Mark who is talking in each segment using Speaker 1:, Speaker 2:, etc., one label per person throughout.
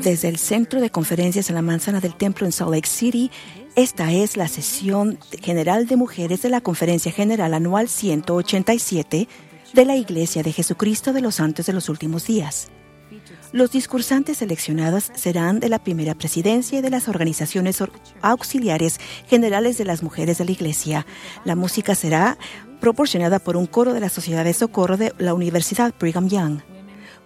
Speaker 1: Desde el Centro de Conferencias en la Manzana del Templo en Salt Lake City, esta es la sesión general de mujeres de la Conferencia General Anual 187 de la Iglesia de Jesucristo de los Santos de los Últimos Días. Los discursantes seleccionados serán de la primera presidencia y de las organizaciones auxiliares generales de las mujeres de la Iglesia. La música será proporcionada por un coro de la Sociedad de Socorro de la Universidad Brigham Young.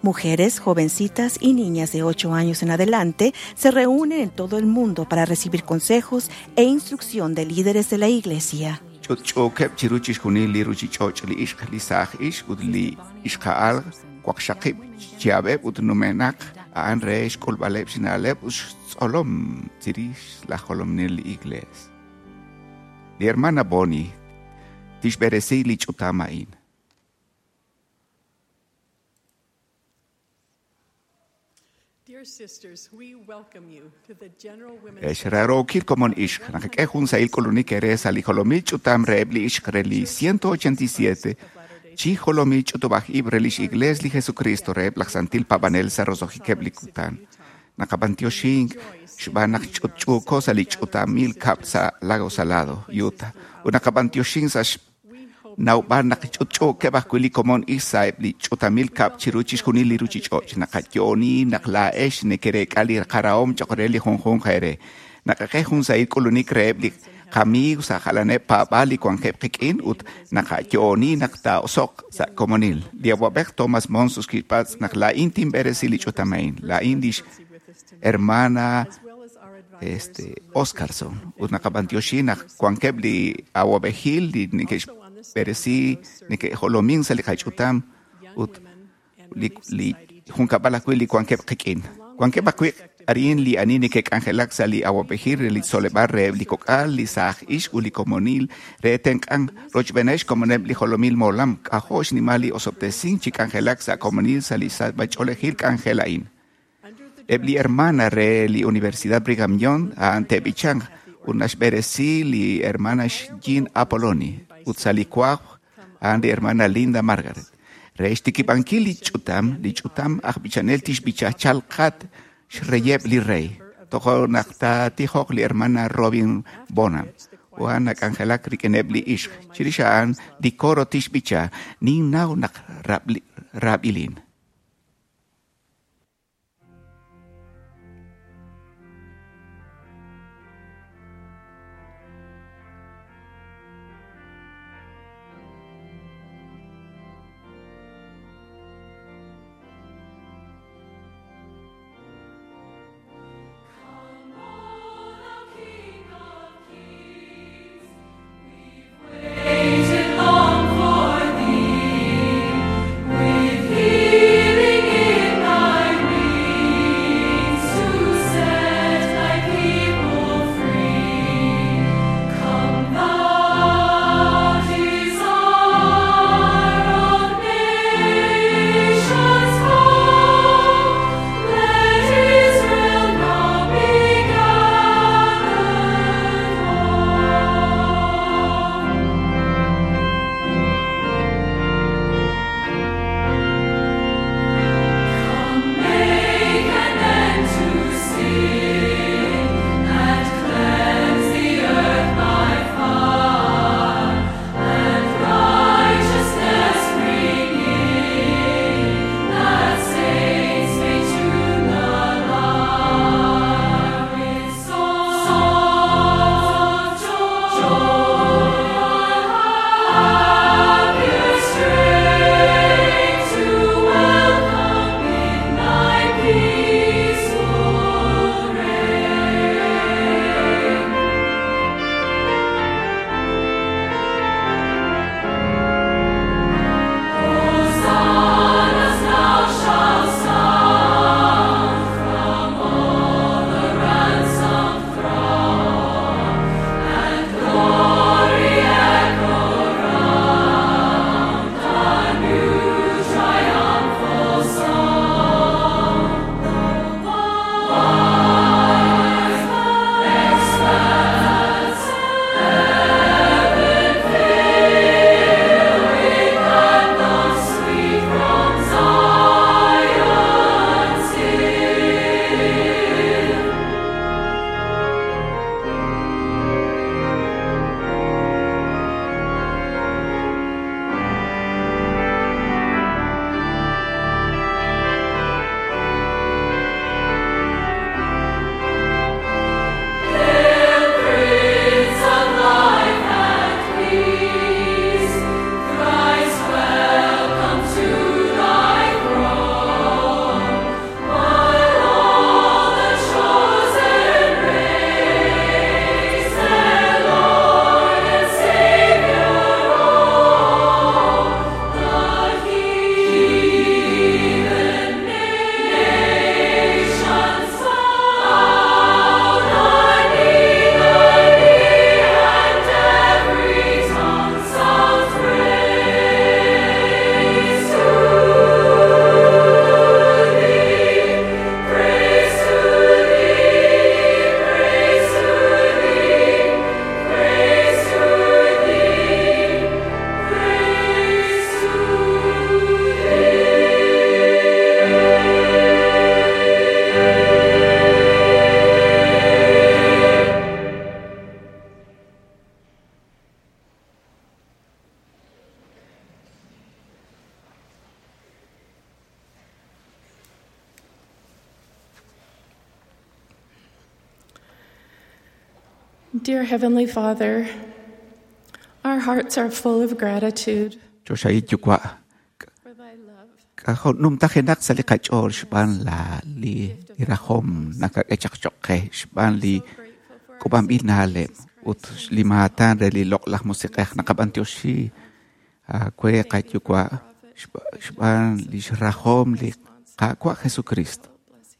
Speaker 1: Mujeres, jovencitas y niñas de 8 años en adelante se reúnen en todo el mundo para recibir consejos e instrucción de líderes de la Iglesia.
Speaker 2: Ch'utch'uukeb' chiru chixjunil li ruchich'och' li ixq li saaj ixq ut li ixqa'al waqxaqib' chihab'eb' ut numenaq a'an re xk'ulb'aleb' xna'leb' ut xtzolom chirix laj jolominel li Iglees. Li hermana Bonnie tixb'eresi li ch'utam a'in. Ex raarookil komon ixq, naqak'e jun sahil k'ulunik eere sa' li jolomil ch'utam reheb' li ixq re li 187 chi jolomil ch'utub'aj ib' re lix Iglees li Jesucristo reheb' laj santil paab'anel sa' roso'jikeb' li kutan. Naqab'antioxink xb'aan naq ch'utch'uuko sa' li ch'utamil kab'l sa' Lago Salado, Utah, ut naqab'antioxink sa' xnawb'al naq ch'utch'uukeb' ajwi' li komon ixq sa'eb' li ch'utamil kab'l chiru chixjunil li ruchich'och'. Naqayo'oni naq laa'ex nekereek'a li qarahom choq' re li junjunq eere. Naqak'e jun sahil k'ulunik reheb' li qamiiw sa' jalaneb' paab'aal li wankeb' qik'in ut naqayo'oni naq taa'oso'q sa' komonil. Li awa'b'ej Thomas Monson kixpatz' naq laa'in tinb'eresi li ch'utam a'in. Laa'in lix hermana Oscarson ut naqab'antioxi naq wankeb' li awa'b'ejil li neke'xb'eresi neke'jolomin sa' li qach'utam ut li junkab'al ajwi' li wankeb' qik'in. Wankeb' ajwi' arin li ani neke'k'anjelak sa' li awa'b'ejil re li tzoleb'aal reheb' li kok'al, li saaj ixq ut li komonil re tenq'ank rochb'eeneb' xkomoneb' li jolomil molam. K'ajo' xnimal li osob'tesink chi k'anjelak sa' komonil sa' li sachb'ach'oolejil k'anjel a'in. Eb' li hermana re li Universidad Brigham Young a'an te'b'ichanq ut naxb'eresi li hermana Jean Apolloni ut sa' li wajb' a'an li hermana Linda Margaret. Re xtikib'ankil li ch'utam aj b'ichanel tixb'icha chalqat xreyeb' li rey. Tojo' naq taatijoq li hermana Robin Bonham u a'an nak'anjelak rik'ineb' li ixq. Chirix a'an li coro tixb'icha ninnaw naq raab'ilin.
Speaker 3: Waited long for thee, with healing. Dear Heavenly Father, our hearts are full of gratitude
Speaker 2: Choxahil Yuwa',
Speaker 3: for thy love.
Speaker 2: k'ajo' numtajenaq sa' li qach'ool xb'aan la li li rajom nakak'e chaq choq' qe xb'aan li
Speaker 3: So grateful for our
Speaker 2: k'ub'anb'il
Speaker 3: Savior
Speaker 2: na'leb'
Speaker 3: Jesus
Speaker 2: ut
Speaker 3: Christ.
Speaker 2: li maatan re li loq'laj musiq'ej naqab'antioxi aawe qayuwa' xb'aan li xrajom li Qaawa' Jesucristo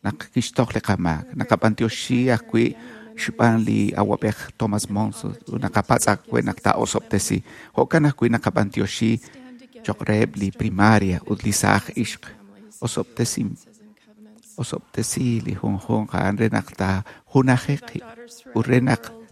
Speaker 2: naq kixtoj li qamaak naqab'antioxi ajwi' xb'aan li awab'ej Thomas Monson ut naqapatz' ajwi' naq taa'osob'tesi jo'kan ajwi' naqab'antioxi
Speaker 3: Stand together
Speaker 2: choq' reheb' li primaria ut li saaj ixq
Speaker 3: families,
Speaker 2: osob'tesi
Speaker 3: alliances and covenants.
Speaker 2: osob'tesi li junjunq a'an re naq taajunaji
Speaker 3: Thy
Speaker 2: qib'
Speaker 3: daughters
Speaker 2: ut
Speaker 3: throughout
Speaker 2: re
Speaker 3: the
Speaker 2: naq
Speaker 3: world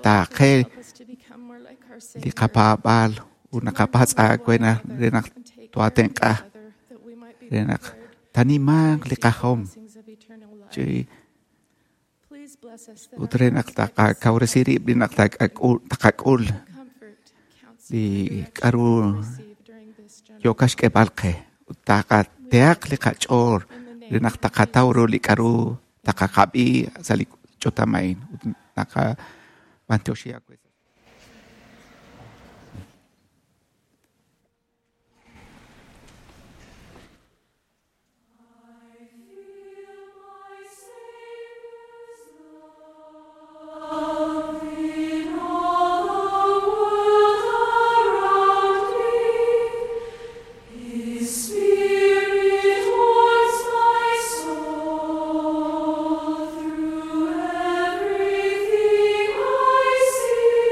Speaker 2: taaqe
Speaker 3: help us to become more like our
Speaker 2: li
Speaker 3: Savior.
Speaker 2: qapaab'aal ut naqapatz' aawe naq re naq
Speaker 3: And take care of
Speaker 2: toatenq'a
Speaker 3: each other, that we might be
Speaker 2: re naq
Speaker 3: prepared
Speaker 2: tanimanq li
Speaker 3: to receive the
Speaker 2: qajom
Speaker 3: blessings of eternal life.
Speaker 2: chi
Speaker 3: Please bless us that
Speaker 2: ut
Speaker 3: our
Speaker 2: re naq
Speaker 3: hearts might receive
Speaker 2: taqakawresi rib' li naq taqak'ul
Speaker 3: comfort, counsel,
Speaker 2: li
Speaker 3: and direction
Speaker 2: k'aru
Speaker 3: we receive during this general
Speaker 2: yooka xk'eeb'al qe ut taqatehaq li qach'ool
Speaker 3: In the
Speaker 2: re
Speaker 3: name
Speaker 2: naq
Speaker 3: of
Speaker 2: taqataw ru
Speaker 3: Jesus
Speaker 2: li k'aru taqaqab'i sa' li ch'utam a'in ut naqab'antioxi aawe.
Speaker 4: Spirit warms my soul through everything I see.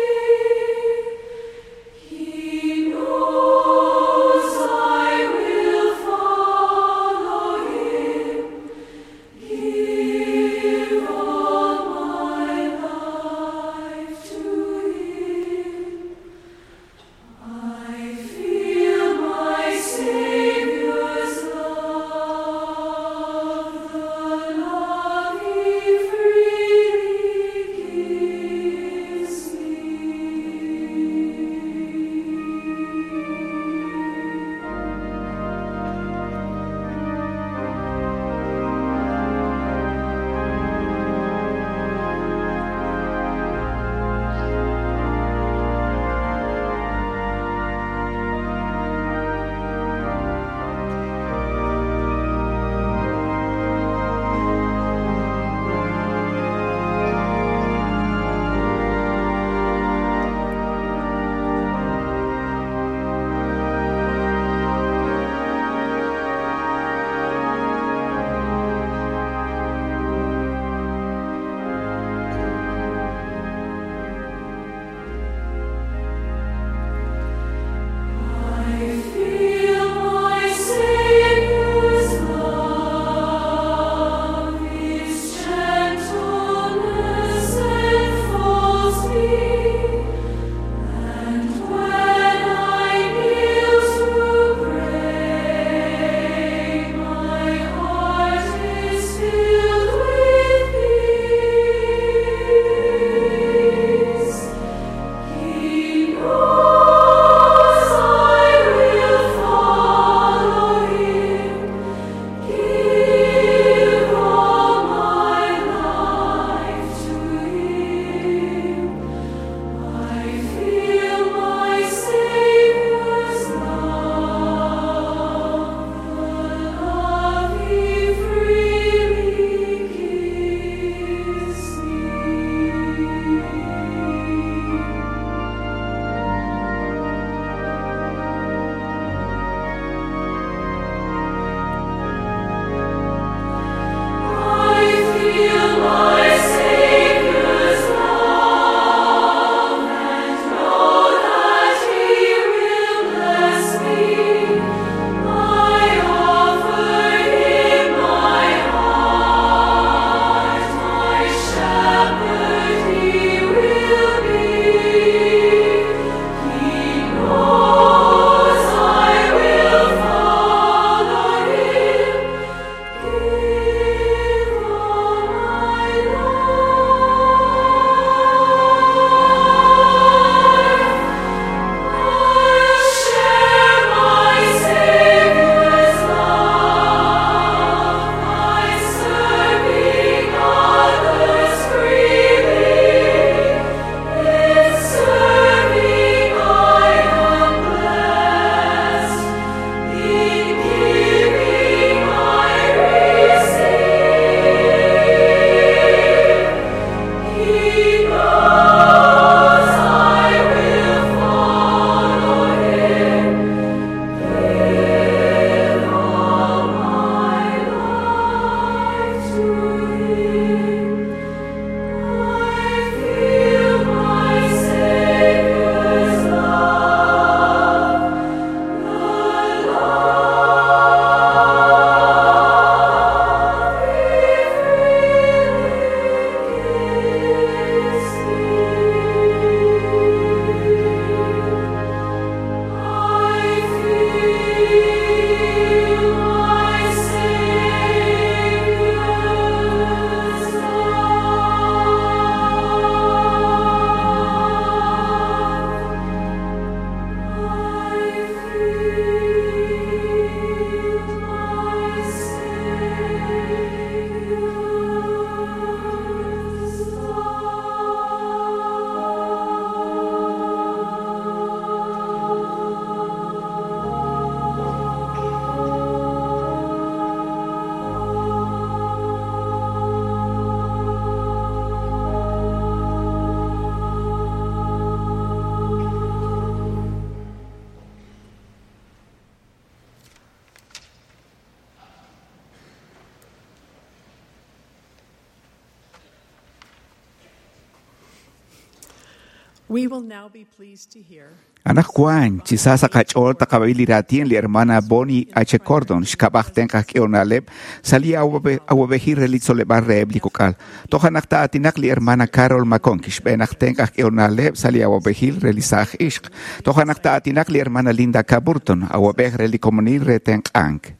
Speaker 3: We will now be pleased to hear
Speaker 2: Anaqwan, chi sa sa qach'ool taqab'i li raatin li hermana Bonnie H. Cordon, xkab'aj tenq aj k'ehonaleb' sa' li awab'ejil re li tzoleb'al reheb' li kok'al. Toj anaq ta'aatinaq li hermana Carol McConkie, xb'een aj tenq aj k'ehonaleb' sa' li awab'ejil re li saaj ixq. Toj anaq ta'aatinaq li hermana Linda K. Burton, awab'ej re li komonil re tenq'ank.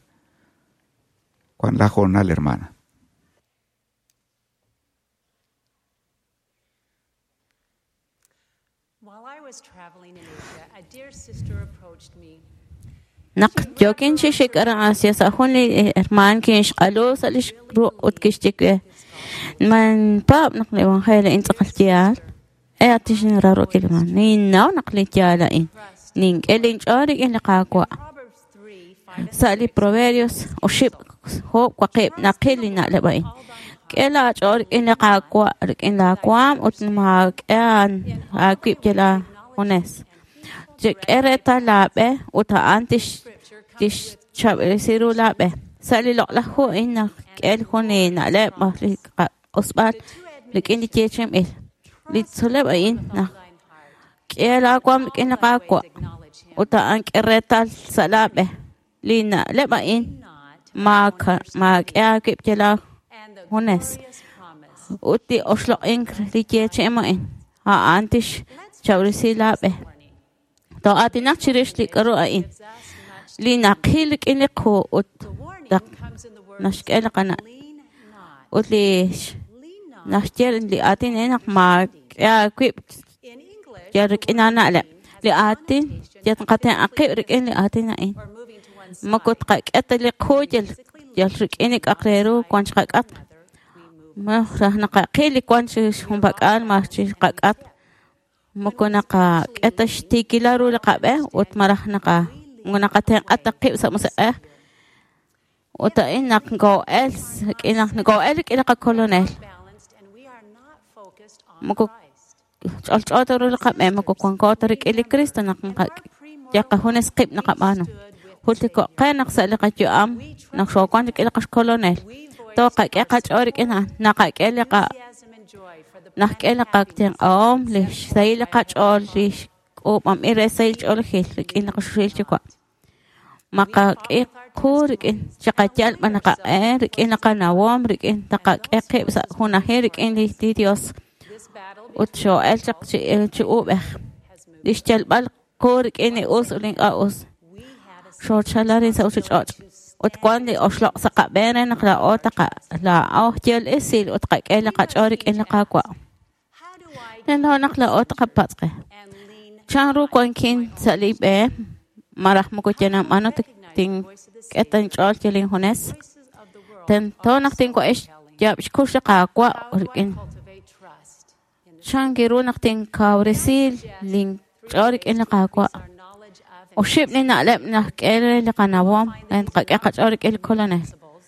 Speaker 2: Juan la jornal, hermana.
Speaker 4: While I was traveling in Asia, a dear sister approached me.
Speaker 5: Naq yokin chi xik aran Asia sa' jun li hermaan kinxq'alu sa' lix ruq' ut kixye we man paab' naq li evangelio a'in tz'aqal yaal e atixinrarokil man ninnaw naq li yaal a'in nink'e linch'ool rik'in li Qaawa'
Speaker 4: Proverbs 3, 5
Speaker 5: sa' li Proverbios oxib' jo'ob' waqib' naqil li na'leb' a'in k'e laach'ool rik'in li Qaawa' rik'in laawaam ut maak'e aawib' yal aajunes chik'e reetal laab'e ut a'an tixchab'resi ru laab'e sa' li loq'laj hu a'in naq k'e jun li na'leb' aj li q'usb'al rik'in li yeechi'inb'il li tzoleb' a'in naq k'e laawaam rik'in li Qaawa' ut a'an k'e reetal sa' laab'e li na'leb' a'in maak'e aawib' yal
Speaker 4: and the
Speaker 5: aajunes
Speaker 4: glorious promise.
Speaker 5: ut li oxloq'ink li yeechi'im a'in a'an tixchab'resi laab'e to'aatinaq chirix li k'aru a'in
Speaker 4: Gives us much.
Speaker 5: li naqil rik'in li qu ut
Speaker 4: The warning
Speaker 5: naq
Speaker 4: comes in the words,
Speaker 5: naxk'e li qana'
Speaker 4: lean not.
Speaker 5: ut li
Speaker 4: Lean not.
Speaker 5: naxye li aatin a'in naq maak'e aawib'
Speaker 4: In English,
Speaker 5: yal rik'in aana'leb' li aatin yal qatenq'aqib' rik'in li aatin a'in
Speaker 4: or moving to one side,
Speaker 5: moko tqak'e ta li qu yal yal rik'in li k'aq re ru wan chiqak'at
Speaker 4: another, we move.
Speaker 5: ma raj naqaqil li wan chi junpak'al ma chi qak'at moko naqak'e ta xtiikilal ru li qab'e ut malaj naqa moko naqatenq'a ta qib' sa' musiq'ej ut a'in naq nko'el rik'in naq nko'el rik'in li qakolonel
Speaker 4: Balanced, and we are not focused on
Speaker 5: Moko
Speaker 4: Christ.
Speaker 5: ch'olch'o ta ru li qab'e moko wanko ta rik'in li Cristo naq yal qajunes qib' naqab'aanu jultiko'qe naq sa' li qayu'am naq xoowan rik'in li qaxkolonel
Speaker 4: We voice
Speaker 5: toqak'e qach'ool rik'in a'an naqak'e li qa
Speaker 4: enthusiasm and joy for the
Speaker 5: naqk'e li qatenq'ahom li xsahil li qach'ool li xk'uub'anb'il re sahil ch'oolejil rik'in li qaxuxil yuwa' maqak'e qu rik'in chiqayal b'an naqaq'e rik'in li qanawom rik'in taqak'e qib' sa' junajil rik'in li Dios
Speaker 4: This battle
Speaker 5: ut xoo'el chaq chi chi uub'ej
Speaker 4: has moved.
Speaker 5: li xyalb'al qu rik'in li us ut li ink'a' us
Speaker 4: We had a
Speaker 5: xoochal arin sa' ruchich'och' ut wan li oxloq' sa' qab'een re naq laa'o taqa laa'o yal esil ut qak'e li qach'ool rik'in li Qaawa'
Speaker 4: How do I
Speaker 5: tento naq laa'o taqapatz'qe
Speaker 4: and lean
Speaker 5: chan ru wankin sa' li b'e malaj moko yanamb'ano tink'e ta inch'ool yal injunes
Speaker 4: voices of the world
Speaker 5: tento naq tinwa'ex yaab' xkux li Qaawa'
Speaker 4: How do I
Speaker 5: rik'in
Speaker 4: cultivate trust in the
Speaker 5: chan ru naq tinkawresi linch'ool rik'in li Qaawa'
Speaker 4: our knowledge of and
Speaker 5: oxib' li na'leb' naqk'e re li qanawom re tqak'e qach'ool rik'in li kolonel
Speaker 4: principles,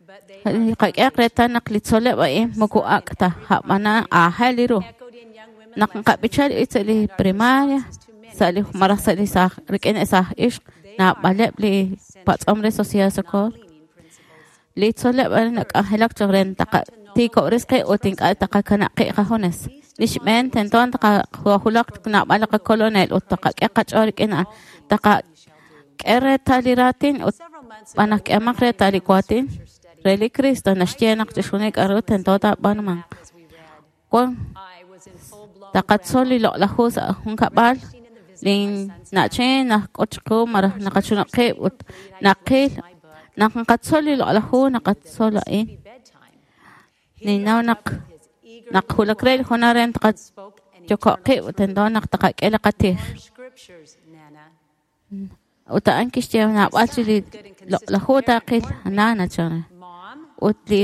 Speaker 4: but they
Speaker 5: li qak'e reetal naq li tzoleb' a'in moko ak' ta jab'ana aajel li ru
Speaker 4: echoed in young women
Speaker 5: naq nqab'ichal sa' li primaria sa' li malaj sa' li saaj rik'in li saaj ixq naab'aleb' li patz'om re Sociedad de Socorro
Speaker 4: leaning principles.
Speaker 5: li tzoleb' a'in nak'anjelak choq' re taqatiikob'res qib' ut ink'a' taqakanab' qib' qajunes li xb'een tento taqajulaq naab'al li qakolonel ut taqak'e qach'ool rik'in a'an taqak'e reetal li raatin ut
Speaker 4: Several months ago,
Speaker 5: b'an k'emaq reetal li waatin re li Cristo naxye naq chixjunil k'a'ru tento taab'aanumanq
Speaker 4: as we read,
Speaker 5: wan
Speaker 4: I was in full-blown
Speaker 5: taqatzol li loq'laj hu sa' jun kab'al lin na'chin najk'ot chiqu malaj naqachunaq qib' ut naqil naq nqatzol li loq'laj hu naqatzol a'in
Speaker 4: be bedtime.
Speaker 5: ninnaw naq naq julak re li junal re
Speaker 4: Spoke an
Speaker 5: taqayoko'qib'
Speaker 4: eternal
Speaker 5: ut tento naq taqak'e li qatij
Speaker 4: truth. Scriptures, Nana.
Speaker 5: ut a'an kixye naab'al chi li loq'laj hu taqil nana chan
Speaker 4: Mom,
Speaker 5: ut li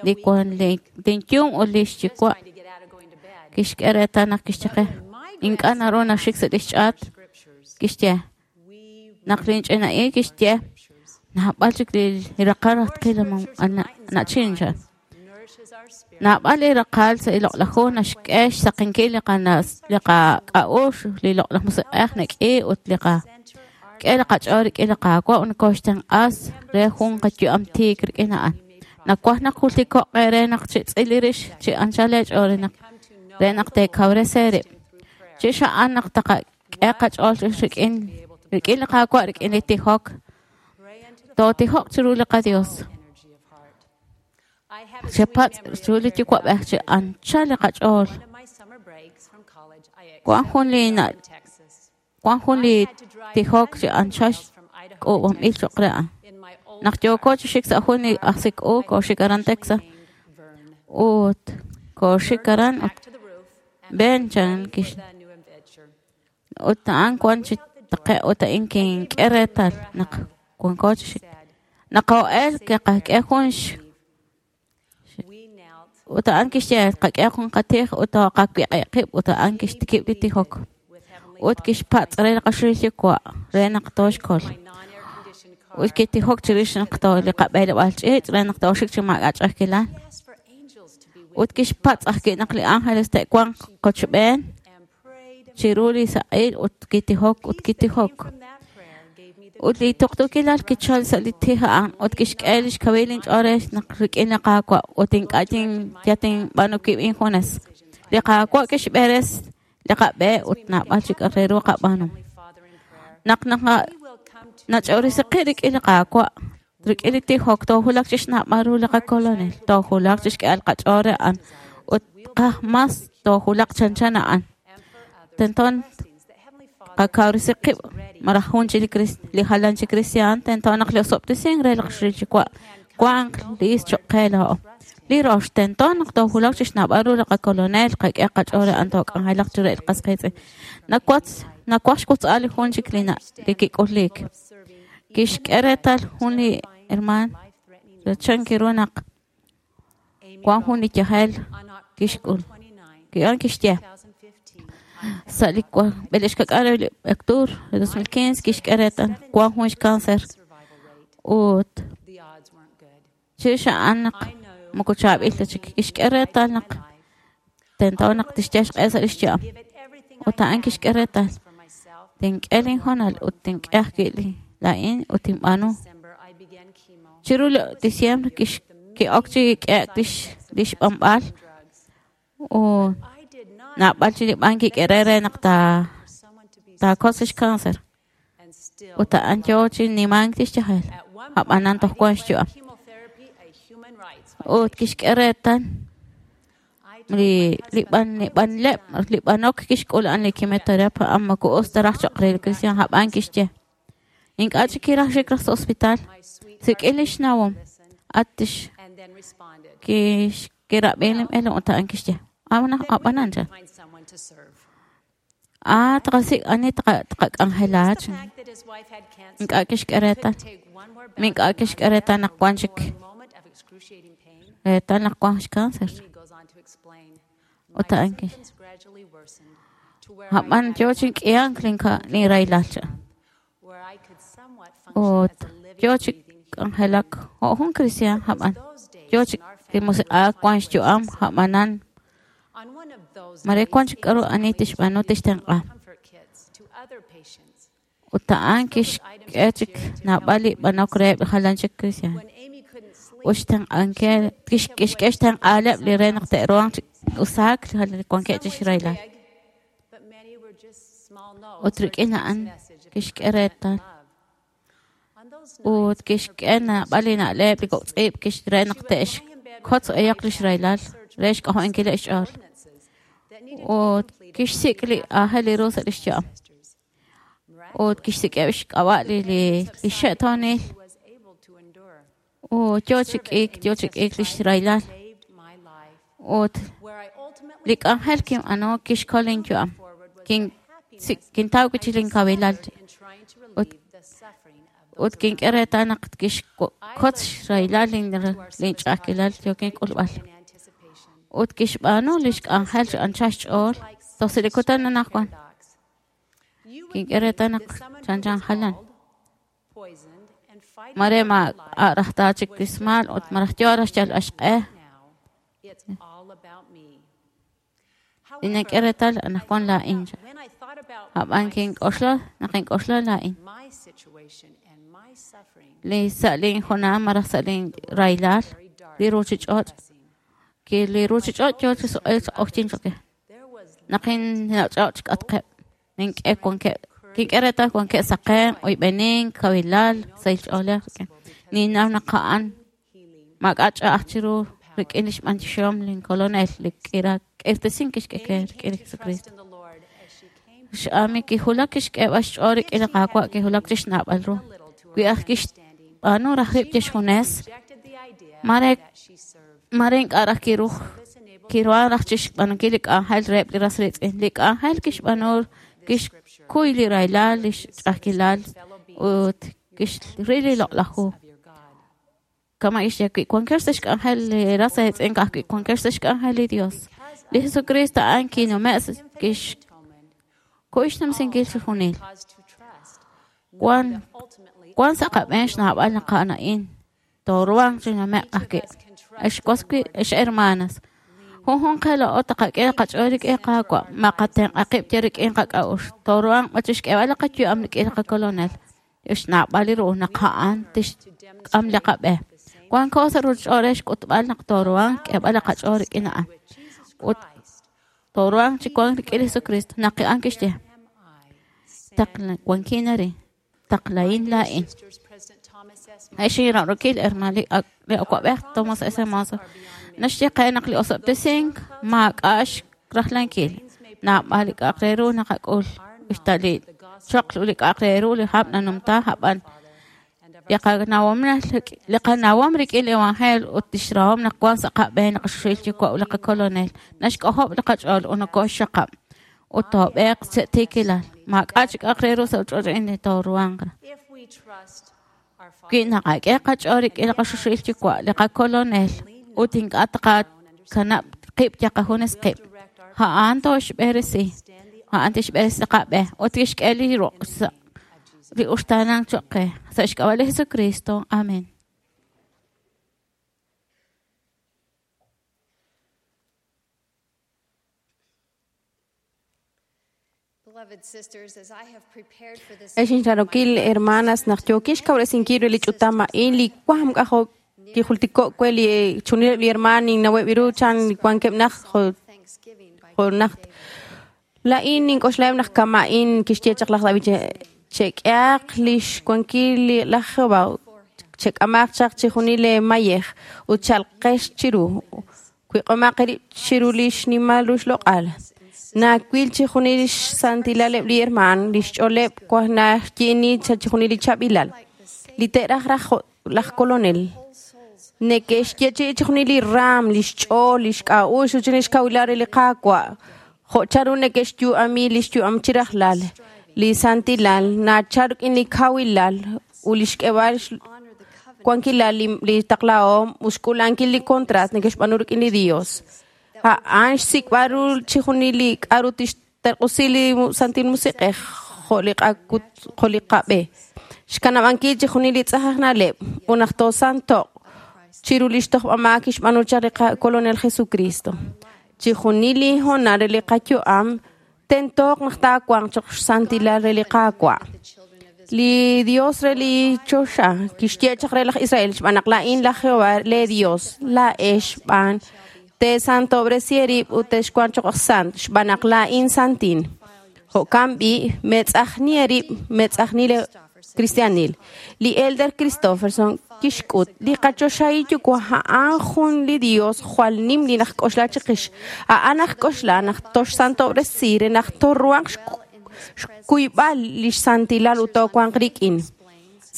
Speaker 5: li wan li tinyum ut li xyuwa'
Speaker 4: trying to get out of going to bed.
Speaker 5: kixk'e reetal naq kixye qe ink'a' naru naxik sa' lix ch'aat
Speaker 4: Scriptures.
Speaker 5: kixye
Speaker 4: We
Speaker 5: naq linch'ina'i kixye
Speaker 4: scriptures.
Speaker 5: naab'al chik li raqal raj tqil na'chin chan
Speaker 4: Nourishes our spirit.
Speaker 5: naab'al li raqal sa' li loq'laj hu naxk'e xsaqenkil li qanas li qak'a'uxl li loq'laj musiq'ej nak'i ut li qa
Speaker 4: Center our
Speaker 5: k'e li qach'ool rik'in li Qaawa' ut nokoxtenq'as re jun qayu'am tiik rik'in a'an nawaj naq jultiko'q re naq chitz'il li rix chi anchal eech'ool re naq
Speaker 4: come to know
Speaker 5: re naq teekawresi eerib'
Speaker 4: through prayer.
Speaker 5: Chirix a'an naq taqak'e qach'ool rik'in rik'in li Qaawa' rik'in li tijok. Tootijoq chiru li qaDios. Chepatz' chiru li Yuwa'b'ej chi anchal li qach'ool. Wan jun li wan jun li tijok chi anchal k'uub'anb'il cho'q re a'an. Naq yooko chi xik sa' jun li ajsik-u kooxik aran Texas ut kooxik aran ut ven chan kix ut a'an wan chi taqe' ut a'in kink'e reetal naq wanko chi xik. Naq koo'el kiqak'e jun ut a'an kixye qak'e jun qatij ut toqawiq'i qib' ut a'an kixtikib' li tijok. Ut kixpatz' re li qaxul Yuwa' re naq tooxkol. Ut kitijok chirix naq li qab'eeleb'aal ch'iich' re naq tooxik chi maak'a' ch'a'ajkilal. Ut kixpatz' ajwi' naq li ángeles te'wanq qochb'een chiru li saq'il ut kitijok ut kitijok. Ut li tuqtuukilal kichal sa' li tij a'an ut kixk'e lix kawil inch'ool re naq rik'in li Qaawa' ut ink'a' yatinb'aanu wib' injunes. Li Qaawa' kixb'eres li qab'e ut naab'al chik re ru qab'aanu. Naq nach'oorisi qib' rik'in li Qaawa', rik'in li tijok toojulak chi xnab'al ru li qakolonel, toojulak chi xk'e'al qach'ool re a'an ut qaj mas toojulaq chanchan a'an. Tento qakawrisi qib' malaj jun chi li jalan chi kristiaan tento naq li osob'tesink re li qaxul Yuwa' wanq liist cho'q qe laa'o. Li rox tento naq toojulak chi xnab'al ru li qakolonel, qak'e qach'ool re a'an took'anjelaq chiru li qas qiitz'in. Nawaj xwotz'al li jun chik li kik'uliik. Kixk'e reetal jun li hermaan chan kiru naq wan jun li yajel kixk'ul. A'an kixye sa' li b'elex kak'aal re octubre de 2015 kixk'e reetal wan jun xcáncer ut chirix a'an naq moko chaab'il ta chik kixk'e reetal naq tento naq tixyal xq'e sa' lix yu'am. Ut a'an kixk'e reetal tink'e linhoonal ut tink'e ajwi' li laa'in ut tinb'aanu. Chiru li diciembre ki'ok chi k'e'ek lix b'anb'al ut naab'al chi li b'an kik'e re re naq taakotz lix cáncer. Ut a'an yoo chi nimank lix yajel. Ab'anan toj wan xyu'am. Ut kixk'e reetal li b'anleb' li b'anok kixk'ul a'an li quimioterapia a'an moko us ta raj cho'q re li cristian ab'an kixye. Ink'a' chik kiraj xik raj sa' hospital. Sik'in lix nawom. At kirab'i li b'eelom ut a'an kixye. Ab'anan chan. Taqasik' ani taqak'anjela chan. Ink'a' kixk'e reetal. Ink'a' kixk'e reetal naq wan chik reetal naq wan xcáncer. Ut a'an kixye. Ab'an yoo chi k'ihank linraylal chan. Ut yoo chi k'anjelak jo' jun cristian ab'an yoo chi li musiq'aak wan xyu'am ab'anan mare wan chik k'aru ani tixb'aanu tixtenq'a. Ut a'an kixk'e chik naab'al li b'anok reheb' jalan chik cristian. Ut xtenq'ankil kixk'e xtenq'aaleb' li re naq te'ruhanq chi usaak li wankeb' chi xraylal. Ut rik'in a'an kixk'e reetal. Ut kixk'e naab'al li na'leb' li kok' tz'iib' re naq te'xkotz eyaq li xraylal re xk'ojo'nkileb' xch'ool. Ut kixsik' li aajel li ru sa' lix yu'am. Ut kixsik'eb' xk'ab'a' li xe'toonil. Ut yoo chi k'iik lix raylal. Ut li k'anjel kinb'aanu kixkol inyu'am. Kintaw wi' chik linkawilal. Ut kink'e reetal naq kixkotz xraylal linch'a'ajkilal yookin k'ulb'al. Ut kixb'aanu lix k'anjel chi anchal xch'ool toj sa' li kutan anaqwan. Kink'e reetal naq chanchan jalan. Mare ma a'raj ta chik rismal ut maraj yoo raj xyalb'al xq'e. Nink'e reetal anaqwan laa'in chan. Ab'an kink'oxla naq ink'oxla laa'in. Li sa' linjoonal malaj sa' linraylal li ruchich'och' ki li ruchich'och' yoo chi suq'eek chi q'oqyink cho'q. Naq inach'och' k'atqeb' nink'e wankeb' kink'e reetal wankeb' saqen, oyb'enink, kawilal, sahil ch'oolej rik'in. Ninnaw naq a'an maak'a' ch'a'aj chiru rik'in lix b'antioxihom lin kolonel li k'irtasink kixk'e qe rik'in li Jesucristo. X'Amy kijulak kixk'eeb'al xch'ool rik'in li Qaawa' kijulak chixnawb'al ru. Wi aj kixb'aanu raj rib' chixjunes, mare ink'a' raj kiruj kiruhan raj chixb'aanunkil li k'anjel reheb' li ras riitz'in. Li k'anjel kixb'aanu kixkuy li rahilal, li xch'a'ajkilal ut kixril li loq'laj hu. Kama' kixye wi wankex sa' xk'anjel li ras eetz'in ka'ajwi' wankex sa' xk'anjel li Dios. Li Jesucristo a'an kinume' kixkuy xnumsinkil chixjunil. Wan sa' qab'een xnawb'al naq a'an a'in tooruhanq chi nume'q ajwi'. Ex was wi' ex hermanas, junjunq qe laa'o taqak'e qach'ool rik'in Qaawa', maqatenq'a qib' yal rik'in qak'a'uxl. Tooruhanq b'an chixk'eeb'al li qayu'am rik'in li qakolonel. Xnawb'al li ru naq a'an tixk'am li qab'e. Wanko sa' ruchich'och' re xk'utb'al naq tooruhanq k'eeb'al li qach'ool rik'in a'an. Ut tooruhanq chi wank rik'in li Jesucristo. Naq a'an kixye, wankin arin, taqlahin laa'in. Ex inra'rokil hermano li awa'b'ej Thomas S. Monson naxye qe naq li osob'tesink maak'a' xrajlankil. Naab'al li k'a'aq re ru naqak'ul. Usta li choql ut li k'a'aq re ru li hab' nanumta a'b'an li qanawom rik'in li evangelio ut lix rahom naq wan sa' qab'een li qaxuxil yuwa' ut li qakolonel naxk'ojob' li qach'ool ut nokoxxaqab' ut toob'eeq sa' tiikilal. Maak'a' chik k'a'aq re ru sa' ch'och' a'in li tooruhanq. Wi naqak'e qach'ool rik'in li qaxuxil yuwa' li qakolonel ut ink'a' taqakanab' qib' yal qajunes qib'. A'an tooxb'eresi. A'an tixb'eresi li qab'e ut tixk'e li ruq' sa' li uxtaanank choq' qe. Sa' xk'ab'a' li Jesucristo. Amén.
Speaker 6: Ex inrarokil hermanas naq yookin xkawresinkil re li ch'utam a'in li waam k'ajo' kijultiko' we li chunileb' li hermaan ninnaweb' ru chan wankeb' naj jo' najt. Laa'in nink'oxlaheb' naq kama'in kixye chaq laj David chek'ehaq lix wankil laj Jehová chek'amaq chaq chijunil le mayej ut chalqex chiru wiq'omaq eerib' chiru li xnimal ru xloq'al. Nawil chijunil lix santilaleb' li hermaan lix ch'ooleb' waj naxyi'ini chijunil li chaab'ilal. Li te'raj raj laj kolonel neke'xyeechi'i chijunil li raam, lix ch'ool, lix k'a'uxl ut lix kawilal re li Qaawa'. Jo' chanru neke'xyu'ami lix yu'am chi rajlal. Li santilal nachal rik'in li kawilal ut lix k'eeb'al wankilal li taqlahom ut xk'uulankil li contrat neke'xb'aanu rik'in li Dios. A'an xsik'b'al ru chijunil li k'a'ru tixterq'usi li Santil Musiq'ej jo' li qab'e. Xkanab'ankil chijunil li tz'aj aj na'leb' ut naq toosanto'q chiru lix tojb'amaak kixb'aanu chaq li qakolonel Jesucristo. Chijunil li hoonal re li qayu'am tentoq naq taawanq choq' xsantilal re li Qaawa'. Li Dios re li choxa kixye chaq re laj Israel xb'aan naq laa'in laj Jehová le Dios laa'ex xb'aan teesantob'resi eerib' ut texwanq choq' sant xb'aan naq laa'in santin. Jo'kan b'i' meetz'ajni eerib' meetz'ajni le cristianil. Li Elder Christofferson kixk'ut li qachoxahil yuwa' a'an jun li Dios jwal nim li najk'oxla chiqix. A'an najk'oxla naq toxsantob'resi re naq toruhanq xkuyb'al lix santilal ut toowanq rik'in.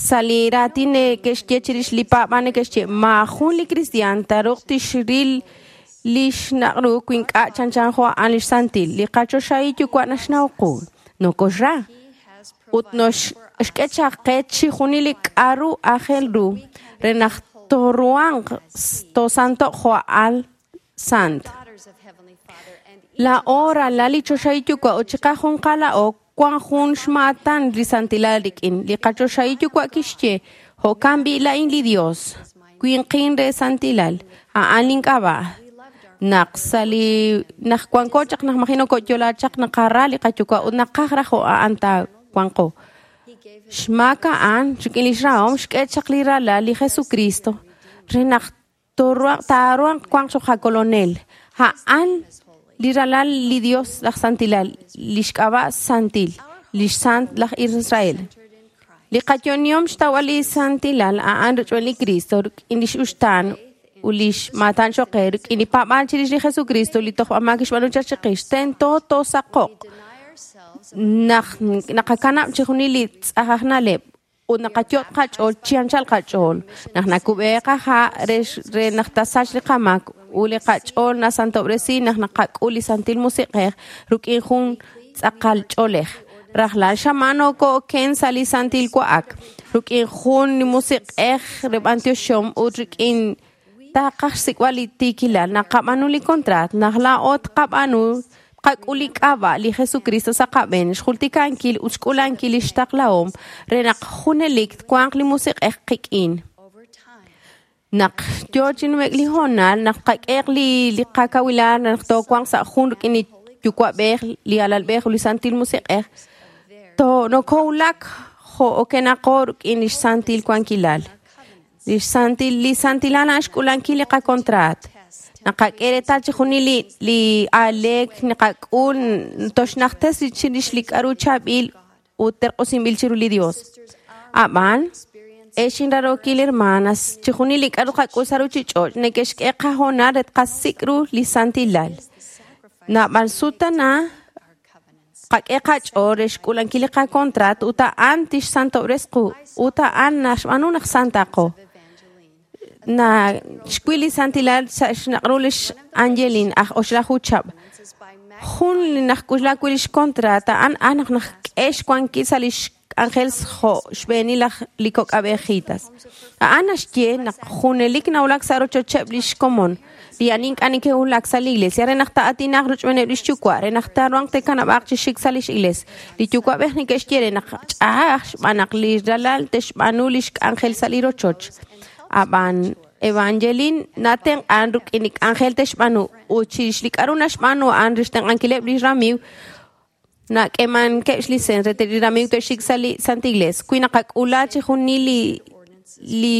Speaker 6: Sa' li raatin neke'xye chirix li paab'aal neke'xye maajun li cristian taruq tixril lix naq' ru wi ink'a' chanchan jo' a'an lix santil. Li qachoxahil yuwa' naxnaw qu, nokoxra ut noxk'e chaq qe chijunil li k'a'ru aajel ru re naq tooruhanq toosanto'q jo' a'an sant. Laa'o ralal li choxahil yuwa' ut chiqajunqal laa'o wan jun xmaatan li santilal rik'in. Li qachoxahil yuwa' kixye jo'kan b'i' laa'in li Dios, winqin re santilal, a'an link'ab'a'. Naq sa' li naq wanko chaq naq maji noko'yo'la chaq naqara li qayuwa' ut naqaj raj jo' a'an taawanqo. Xmaak a'an rik'in lix rahom xk'e chaq li ralal li Jesucristo re naq taaruhanq wanq choq' qakolonel. A'an Li ralal li Dios laj santilal, lix k'ab'a' santil, lix sant laj Israel. Li qayonihom xtawb'al li santilal a'an rochb'een li Cristo rik'in lix uxtaan ut lix maatan choq qe rik'in li paab'aal chirix li Jesucristo li tojb'amaak kixb'aanu chaq chiqix tento toosaqo'q naq naqakanab' chixjunil li tz'aj aj na'leb' ut naqayot' qach'ool chi anchal qach'ool naq nakub'e qaha' re naq tasach li qamaak ut li qach'ool nasantob'resi naq naqak'ul li Santil Musiq'ej rik'in jun tz'aqal ch'oolej. Rajlal xamaan nokoo'oken sa' li Santil Wa'ak rik'in jun li musiq'ej re b'antioxom ut rik'in taqaj xsik'b'al li tiikilal naqab'aanu li contrat naq laa'o tqab'aanu tqak'ul li k'ab'a' li Jesucristo sa' qab'een xjultikankil ut xk'ulankil lix taqlahom re naq junelik twanq li musiq'ej qik'in. Naq yo chi nume'k li hoonal naq tqak'eq li qakawilal naq toowanq sa' jun rik'in li Yuwa'b'ej li Alalb'ej ut li Santil Musiq'ej nokowulak jo' okenaqo rik'in lix santil wankilal. Li santilal a'an xk'ulankil li qakontraat. Naqak'e reetal chixjunil li aaleek naqak'ul toxnajtes chirix li k'a'ru chaab'il ut terq'usinb'il chiru li Dios. Ab'an, ex inrarookil hermanas, chixjunil li k'a'ru qak'ul sa' ruchich'och' neke'xk'e qahoonal re tqasik' ru li santilal. Naab'al sutana qak'e qach'ool re xk'ulankil li qakontraat ut a'an tixsantob'res qu ut a'an naxb'aanu naq santaqo. Na xwil li santilal sa' xnaq'ru lix Angelin aj oxlaju chab'. Jun li najk'uxla wi' lix contrat a'an naq najk'e xwankil sa' lix k'anjel jo' xb'eenil laj li kok'ab'ejitas. A'an naxye naq junelik nawulak sa' rochocheb' lix komon. Li ani ink'a' neke'wulak sa' li iglesia re naq ta'atinaq rochb'eeneb' lix yuwa' re naq taaruhanq te'kanab'aaq chi xik sa' lix iglesia. Li yuwa'b'ej neke'xye re naq ch'a'aj xb'aan naq li ralal te'xb'aanu lix k'anjel sa' li rochoch. Ab'an Evangeline natenq'an rik'in li k'anjel te'xb'aanu ut chirix li k'a'ru naxb'aanu a'an re xtenq'ankileb' li ramiiw nak'eemankeb' xlicens re li ramiiw te'xik sa' li Santa Iglesia. Wi naqak'ula chixjunil li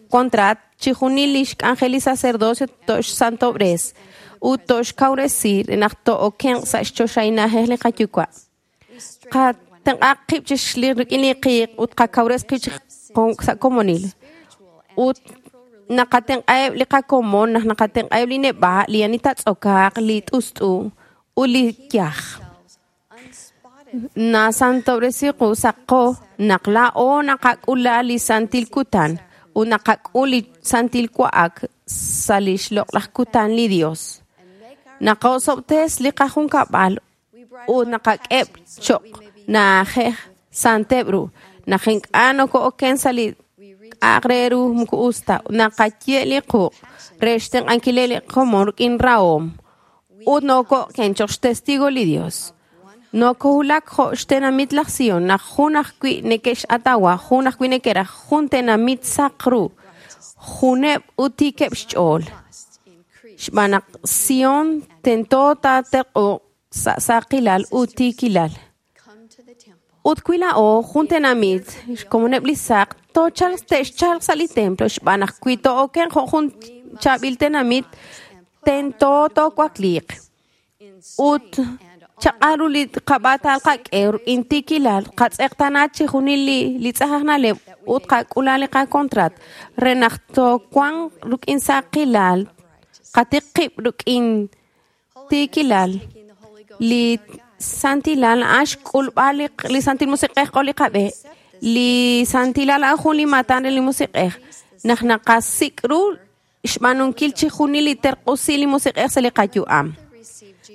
Speaker 6: contrat chixjunil lix k'anjel li sacerdocio toxsantob'res ut toxkawresi re naq to'okenq sa' xchoxahil na'ajej li qayuwa'. Qatenq'aq qib' chix rik'in li qiiq ut qakawres qib' sa' komonil. Ut naqatenq'aheb' li qakomon naq naqatenq'aheb' li neb'a' li ani tatz'okaaq li t'ust'u ut li yaj. Nasantob'resi qu saqo naq laa'o naqak'ula li santil kutan ut naqak'ul li santil wa'ak sa' lix loq'laj kutan li Dios. Naqosob'tes li qajunkab'al ut naqak'eb' choq' na'ajej santeb' ru. Naq ink'a' nokoo'oken sa' li k'a'aq re ru moko us ta naqaye' li quq' re xtenq'ankileb' li komon rik'in rahom ut nokoo'oken choq' xtestigo li Dios. Nokowulak jo' xtenamit laj Sion naq jun ajwi' neke'x'atawa, jun ajwi' neke'raj, jun tenamit saq ru, juneb' ut tiikeb' xch'ool. Xb'aan naq Sion tento taaterq'uq sa' saqilal ut tiikilal. Ut wi laa'o jun tenamit xkomoneb' li saq toochalq te'xchalq sa' li templo xb'aan naq wi to'oken jo' jun chaab'il tenamit tento toowakliiq. Ut chaq'aru li qab'aatal qak'e rik'in tiikilal qatz'eqtana chixjunil li tz'aj aj na'leb' ut qak'ula li qakontrat re naq toowanq rik'in saqilal qatiq qib' rik'in tiikilal. Li santilal a'an xk'ulb'al li Santil Musiq'ej q'ol li qab'e. Li santilal a'an jun li maatan re li musiq'ej. Naq naqasik' ru xb'aanunkil chixjunil li terq'usi li musiq'ej sa' li qayu'am.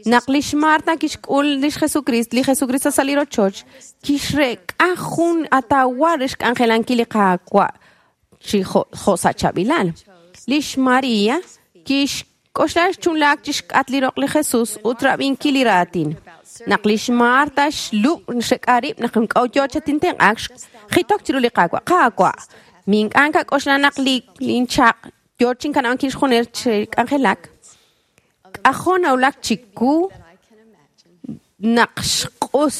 Speaker 6: Naq lix Marta kixk'ul lix Jesucristo, li Jesucristo sa' li rochoch, kixrek'a jun atawa re xk'anjelankil li Qaawa' chi jo' sa' chaab'ilal. Lix Maria kixk'oxla xchunlaak chixk'at li roq li Jesus ut rab'inkil li raatin. Naq lix Marta xlub' xrek'a rib' naq ink'a' yo chatintenq'aak jitok chiru li Qaawa'. Qaawa', mink'a' nkak'oxla naq li inchaq' yo chinkanab'ankil xjunes chi k'anjelak. K'ajo' nawulak chiku naq xq'us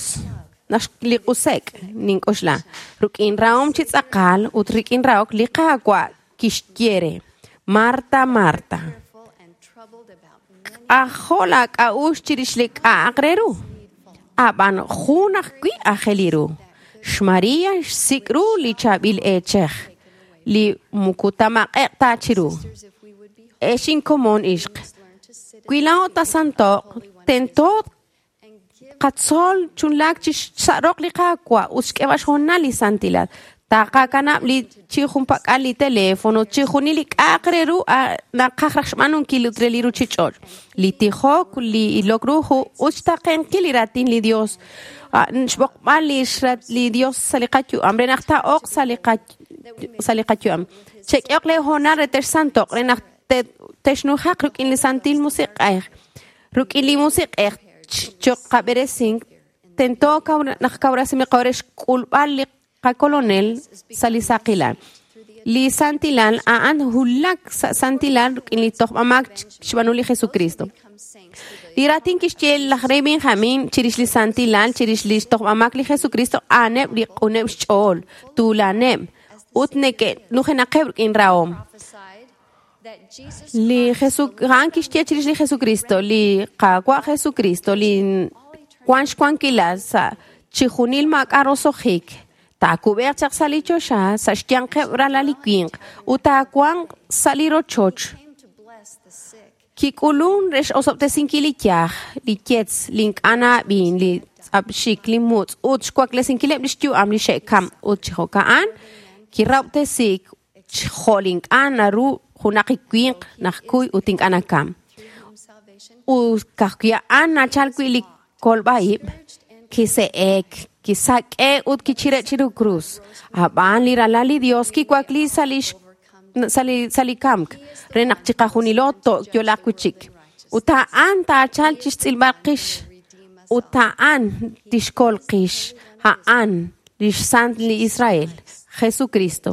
Speaker 6: naq li q'usek' nink'oxla. Rik'in rahom chi tz'aqal ut rik'in rahok li Qaawa' kixye re Marta, Marta. K'ajo' laak'a'uxl chirix li k'a'aq re ru. Ab'an jun ajwi' aajel ru. XMaria xsik' ru li chaab'il eechej, li muku tamaq'eq ta chiru. Ex inkomon ixq. Wi laa'o tasantoq, tento qatzol chunlaak chi xsa'roq li Qaawa' ut xk'eb'al xhoonal li santilal. Taqakanab' li chi junpak'al li teléfono, chi junil li k'a'aq re ru naqaj raj xb'aanunkil ut re li ruchich'och'. Li tijok, li ilok ru hu ut xtaqenkil li raatin li Dios. Xb'oqb'al li xrat li Dios sa' li qayu'am re naq taa'oq sa' li qayu'am. Chek'ehoq le hoonal re texsantoq re naq texnujaq rik'in li Santil Musiq'ej. Rik'in li Musiq'ej choq qab'eresink tento naq kawrasimi qawre xk'ulb'al li qakolonel sa' li saqilal. Li santilal a'an hulak sa' santilal rik'in li tojb'amaak xb'aanu li Jesucristo. Li raatin kixye laj rey Benjamin chirix li santilal, chirix li xtojb'amaak li Jesucristo, a'aneb' li q'uneb' xch'ool, tuulaneb', ut neke'nujenaqeb' rik'in rahom. Li a'an kixye chirix li Jesucristo, li Qaawa' Jesucristo, li wan xwankilal sa' chi junil maak'a' roso'jik, taakub'eq chaq sa' li choxa, sa' xyanqeb' ralal li winq, ut taawanq sa' li rochoch. Kik'ulun re x'osob'tesinkil li yaj, li yetz, li ink'a' na'ab'in, li tz'apxik, li mutz', ut xwaklesinkileb' li xyu'am li xe'kam, ut chi jo'ka'an kirab'tesik jo' li ink'a' naru junaq li winq naq kuy ut ink'a' nakam. Ut ka'ajwi' a'an nachal wi' li kolb'a'ib', kise'ek, kisak'e ut kichire' chiru krus. Ab'an li ralal li Dios kiwakli sa' li kamk re naq chiqajunilo to'yolaq wi' chik. Ut a'an taachal chixtz'ilb'al qix. Ut a'an tixkol qix. A'an lix Sant li Israel, Jesucristo.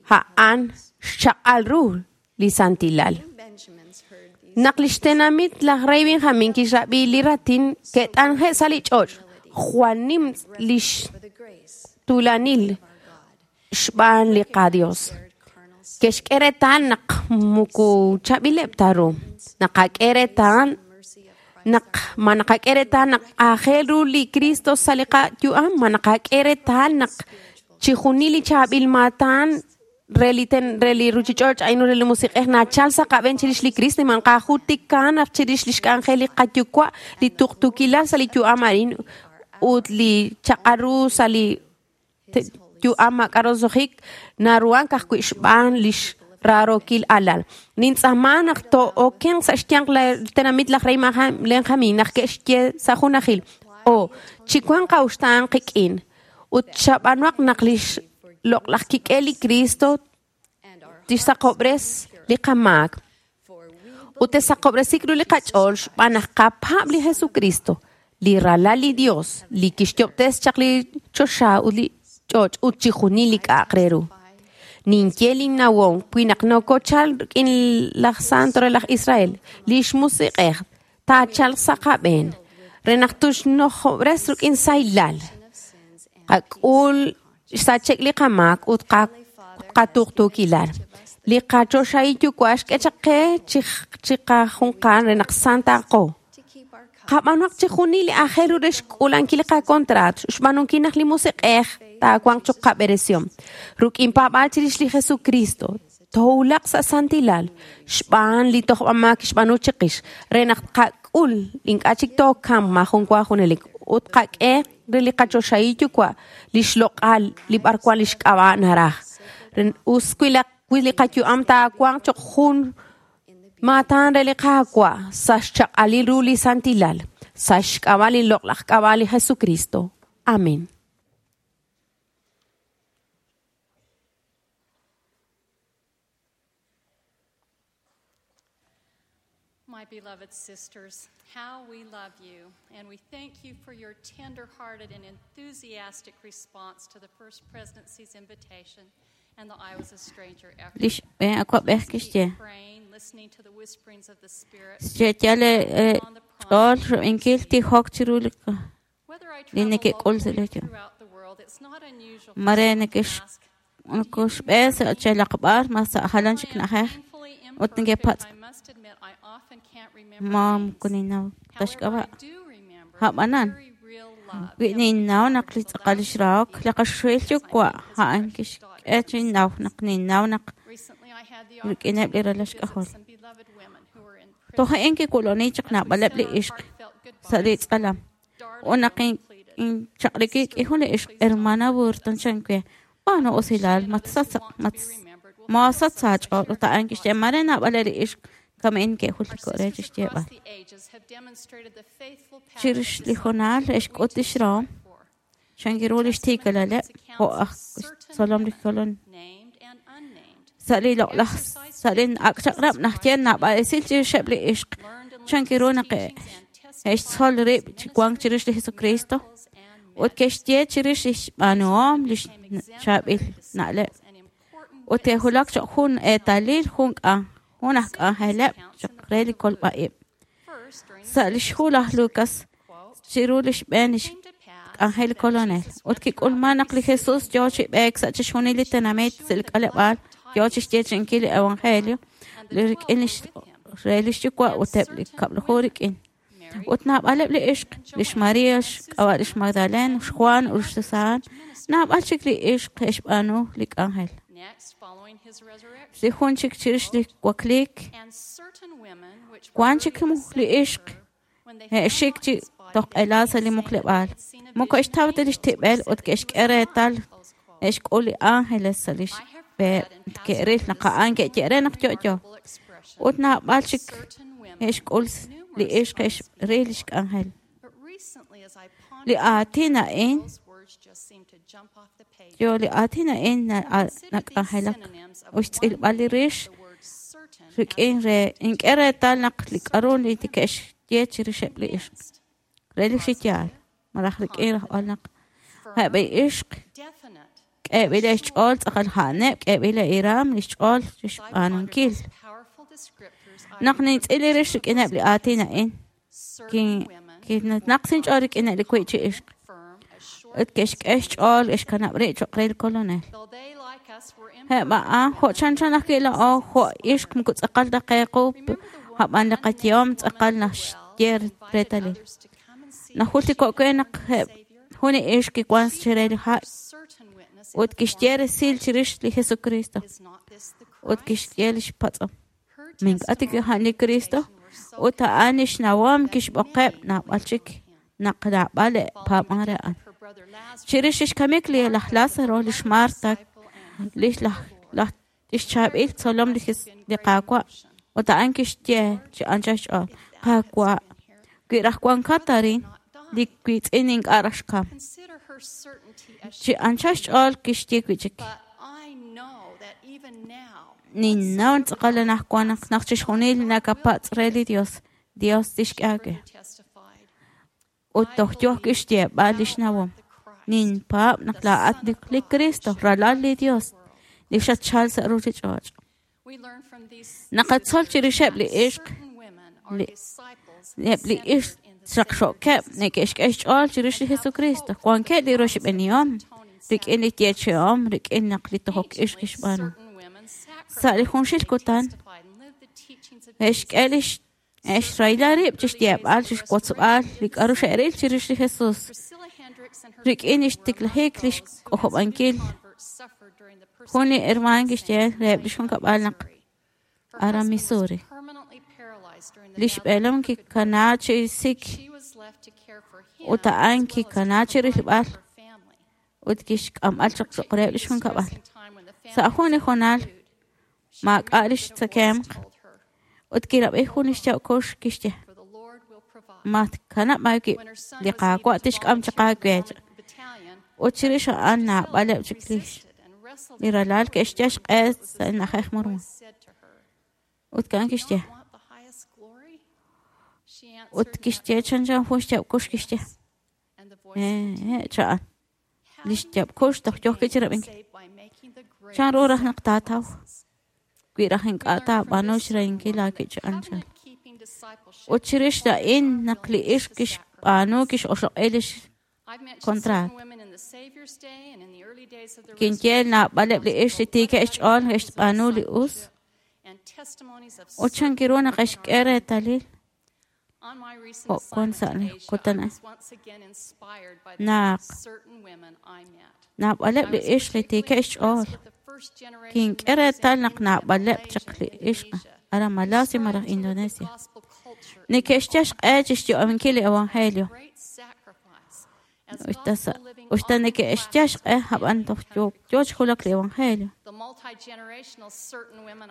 Speaker 6: A'an xchaq'al ru li santilal. Naq li xtenamit laj rey Benjamin kixrab'i li raatin ke't'anje' sa' li ch'och', jwal nim lix tuulanil xb'aan li qaDios. Ke'xk'e reetal naq muku chaab'ileb' ta ru. Naqak'e reetal naq ma naqak'e reetal naq aajel ru li Cristo sa' li qayu'am, ma naqak'e reetal naq chi junil li chaab'il maatan re li ruchich'och' a'in re li musiq'ej nachal sa' qab'een chirix li Cristo, man qajultikan naq chirix li xk'anjel li qayuwa', li tuqtuukilal sa' li yu'am a'in ut li chaq'al ru sa' li yu'am maak'a' roso'jik naruhank ajwi' xb'aan lix raarokil alal. Nintz'aama naq to'okenq sa' xyanq tenamit laj rey Benjamin naq ke'xye sa' junajil, o chiwanq qa'uxtaan qik'in ut chab'anuaq naq lix loq'laj kik'el li Cristo tixsaqob'res li qamaak. Ut tesaqob'resik ru li qach'ool xb'aan naq qapaab' li Jesucristo, li ralal li Dios, li kixyob'tes chaq li choxa ut li ch'och' ut chi junil li k'a'aq re ru. Ninye linnawom wi naq nokochal rik'in laj Santo re laj Israel, lix musiq'ej taachalq sa' qab'een re naq tuxnojob'res rik'in saylal. Qak'ul xsachek li qamaak ut qatuqtuukilal. Li qachoxahil yuwa' xk'e chaq qe chi qajunqal re naq santaqo. Qab'anuaq chi junil li aajel ru re xk'ulankil li qakontraat, xb'aanunkil naq li musiq'ej taawanq choq qab'eresiom. Rik'in paab'aal chirix li Jesucristo, toowulaq sa' santilal, xb'aan li tojb'amaak xb'aanu chiqix, re naq qak'ul ink'a' chik tookam maajun wa junelik ut qak'e re li qachoxahil yuwa' li xloq'al li b'arwan li xk'ab'a' naraj. Us wi li qayu'am taawanq choq jun maatan re li Qaawa' sa' xchaq'alil ru li santilal, sa' xk'ab'a' li loq'laj k'ab'a' li Jesucristo. Amén.
Speaker 4: My beloved sisters, how we love you, and we thank you for your tender-hearted and enthusiastic response to the First Presidency's invitation and the I Was a Stranger effort.
Speaker 5: Lix awab'ej kixye.
Speaker 4: Praying, listening to the whisperings of the Spirit.
Speaker 5: Xyal ch'ool xrub'inkil tijok chiru li
Speaker 4: Whether I
Speaker 5: li
Speaker 4: travel
Speaker 5: neke'k'ul sa'
Speaker 4: locally
Speaker 5: li yu'am.
Speaker 4: throughout the world, it's not unusual for
Speaker 5: Mare
Speaker 4: someone to
Speaker 5: neke'x
Speaker 4: ask,
Speaker 5: kuxb'e sa' chelaqb'al ma sa' jalan chik
Speaker 4: I am
Speaker 5: na'ajej.
Speaker 4: painfully
Speaker 5: Ut neke'patz', ma moko ninnaw ta xk'ab'a'. A'b'anan, wi ninnaw naq li tz'aqal lix rahok li qaxuxuhil yuwa' a'an kixk'e chinnaw naq ninnaw naq rik'ineb' li ralal xk'ajol. Toj a'in kiwuloni chaq naab'aleb' li ixq sa' li tz'alam. Ut naq inchaq'riki k'i jun li ixq, Hermana Burton chan we, b'aanu usilal, maasach sa' aach'ool. Ut a'an kixye, mare naab'aleb' li ixq kama'in ke'jultiko' re chixyeeb'al. Chirix li hoonal xk'ut lix rahom, chankiru lix tiikalaleb' jo' aj xtzolom li Kolonel. Sa' li loq'laj sa' li ak' chaq'rab' naxye naab'al esil chirixeb' li ixq chankiru naq e'xtzol rib' chi wank chirix li Jesucristo ut ke'xye chirix lix b'aanuhom lix chaab'il na'leb' ut ke'wulak cho'q jun eetalil jun aj k'anjeleb' cho'q re li kolb'a-ib'. Sa' lix hu laj Lucas chiru lix b'een lix k'anjel li Kolonel ut kik'ulman naq li Jesus yoo chi b'eek sa' chixjunil li tenamit sa' li k'aleb'aal yoo chixyeechi'inkil li evangelio li rik'in lix re lix yuwa' ut eb' li kab'laju rik'in. Ut naab'aleb' li ixq, lix Maria, xk'ab'a' lix Magdalena, Juan ut Susana, naab'al chik li ixq xb'aanu li k'anjel. Li jun chik chirix li wakliik, wan chik li ixq e'xik chi toq'ela sa' li muqleb'aal. Moko xtaw ta lix tib'el ut ke'xk'e reetal e'xk'ul li ángeles sa' lix b'e ke'ril naq a'an ke'ye re naq yo'yo. Ut naab'al chik e'xk'ul li ixq e'xril lix k'anjel. Li aatin a'in yo li aatin a'in nak'anjelak ut xtz'ilb'al li rix rik'in re ink'e reetal naq li k'aru li ke'xye chirixeb' li ixq re li xiyaal malaj rik'in rajb'al naq eb' li ixq k'eeb'il xch'ool tz'aqal a'aneb' k'eeb'il iram li xch'ool chixb'aanunkil. Naq nintz'il li rix rik'ineb' li aatin a'in kinaq sinch'ool rik'ineb' li wi' chi ixq ut ke'xk'e xch'ool xkanab' rib' cho'q re li Kolonel. Eb' a'an jo' chanchan ajwi' laa'o jo' ixq moko tz'aqal ta qe qu a'b'an li qayehom tz'aqal naxye reetalil. Najultiko' we naq jun li ixq kiwan chire li ha' ut kixye resil chirix li Jesucristo ut kixye lix patz'om. Mink'a tik a'an li Cristo ut a'an lix nawom kixb'oqeb' naab'al chik naq naab'al paab'an re a'an. Chirix lix kamik li laj Lázaro, lix Marta, lix laj lix chaab'il tzolom li Qaawa' ut a'an kixye chi anchal xch'ool, Qaawa', wi raj wankat arin, li wiitz'in ink'a' raj xkam. Chi anchal xch'ool kixye wi' chik. Ninnaw tz'aqal anaqwan naq chixjunil nakapatz' re li Dios, Dios tixk'e aawe. Ut toj yoj kixyeeb'al lix nawom. Ninpaab' naq laa'at li Cristo, ralal li Dios, li xatchal sa' ruchich'och'. Naqatzol chirixeb' li ixq, eb' li ixq xaqxo'keb' neke'xk'e xch'ool chirix li Jesucristo. Wankeb' li roxb'enihom rik'in li yeechi'om rik'in naq li tojok ix kixb'aanu. Sa' li junxil kutan, e'xk'e lix e'xrahila rib' chixyeeb'al chixwotzb'al li k'aru xe'ril chirix li Jesus. Rik'in lix tiklajik lix k'ojob'ankil jun li hermaan kixye reheb' lix junkab'al naq aran Missouri. Lix b'eelom kikana chi sik ut a'an kikana chi rilb'al ut kixk'amb'al chaq cho'q reheb' lix junkab'al. Sa' jun li hoonal maak'a' lix tzakemq ut kirab'i jun lix yaw kuux kixye matkanab' aawib' li Qaawa' tixk'am chaq aawe. Ut chirix a'an naab'aleb' chik li ralal ke'xyal xq'e sa' li na'ajej Mormon. Ut a'an kixye ut kixye chanchan jun xyaab' kuux kixye cha'an lix yaab' kuux toj yoj kichirab'inkil. Chan ru raj naq taataw wi raj ink'a' taab'aanu xrahinkil aawib' chi anchal. Ut chirix a'in naq li ixq kixb'aanu kix'oxloq'i lix contrat. Kinye naab'aleb' li ixq li tiikeb' xch'ool xb'aanu li us Ut chan kiru naq xk'e reetalil jo' wan sa' li kutan a'in naq naab'aleb' li ixq li tiikeb' xch'ool kink'e reetal naq naab'aleb' chaq li ixq aran Malasia malaj Indonesia neke'xyal xq'e chixyu'aminkil li evangelio. Usta neke'xyal xq'e ab'an toj yoo chi wulak li evangelio.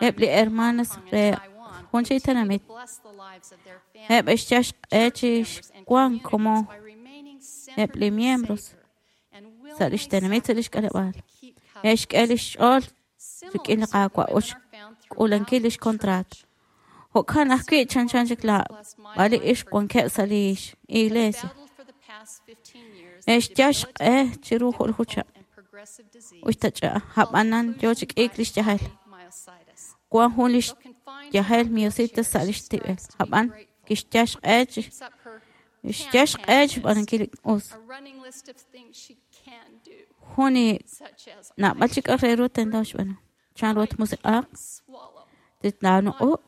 Speaker 5: Eb' li hermanas re jun chi tenamit eb' xyal xq'e chi xwank komon eb' li miembros sa' lix tenamit sa' lix k'aleb'aal. E'xk'e lix ch'ool rik'in li Qaawa' ut xk'uulankil lix contrato. Jo'kan ajwi' chanchan chik laab'al li ixq wankeb' sa' lix iglesia. E'xyal xq'e chiru ju'ljucha'. Usta ch'a'aj ab'anan yoo chi k'iik lix yajel. Wan jun lix yajel miositis sa' lix tib'el. Ab'an kixyal xq'e xb'aanunkil li us. Jun li naab'al chi k'a'aq re ru tento xb'aanu. Chan ru tmusiq'aq, titnaanuq'uq,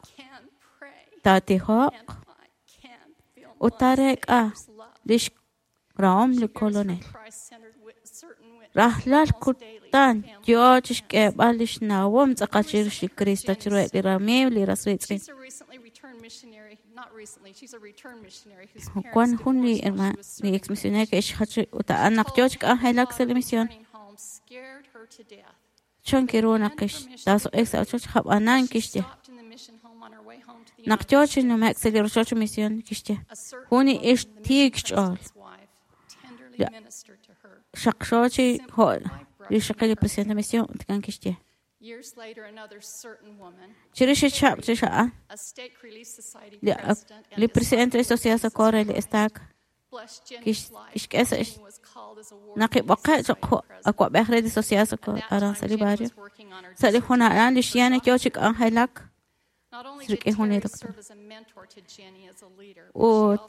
Speaker 5: taatijoq, ut taareek'a lix rahom li Kolonel. Rajlal kutan yoo chixk'eeb'al lix nawom tz'aqal chirix li Cristo chiruheb' li ramiiw li ras riitz'in. Wan jun li hermana li ex misionero ke'xjach ut a'an naq yoo chi k'anjelak sa' li misión. Chan kiru naq kixtaasuq'ik sa' ochoch ab'anan kixye. Naq yoo chi nume'k sa' li rochoch misión kixye. Jun li ixq tiik xch'ool. Xaqxo chi jo' li xaqil li presidente misión ut kan kixye. Chirix xchab' chix a'an li presidente de Sociedad Socorro li estaca kixk'e sa' naq kib'oqe' choq' awa'b'ej re li Sociedad Socorro aran sa' li barrio. Sa' li jun a'an li xYanny yoo chi k'anjelak rik'in jun li doctor. Ut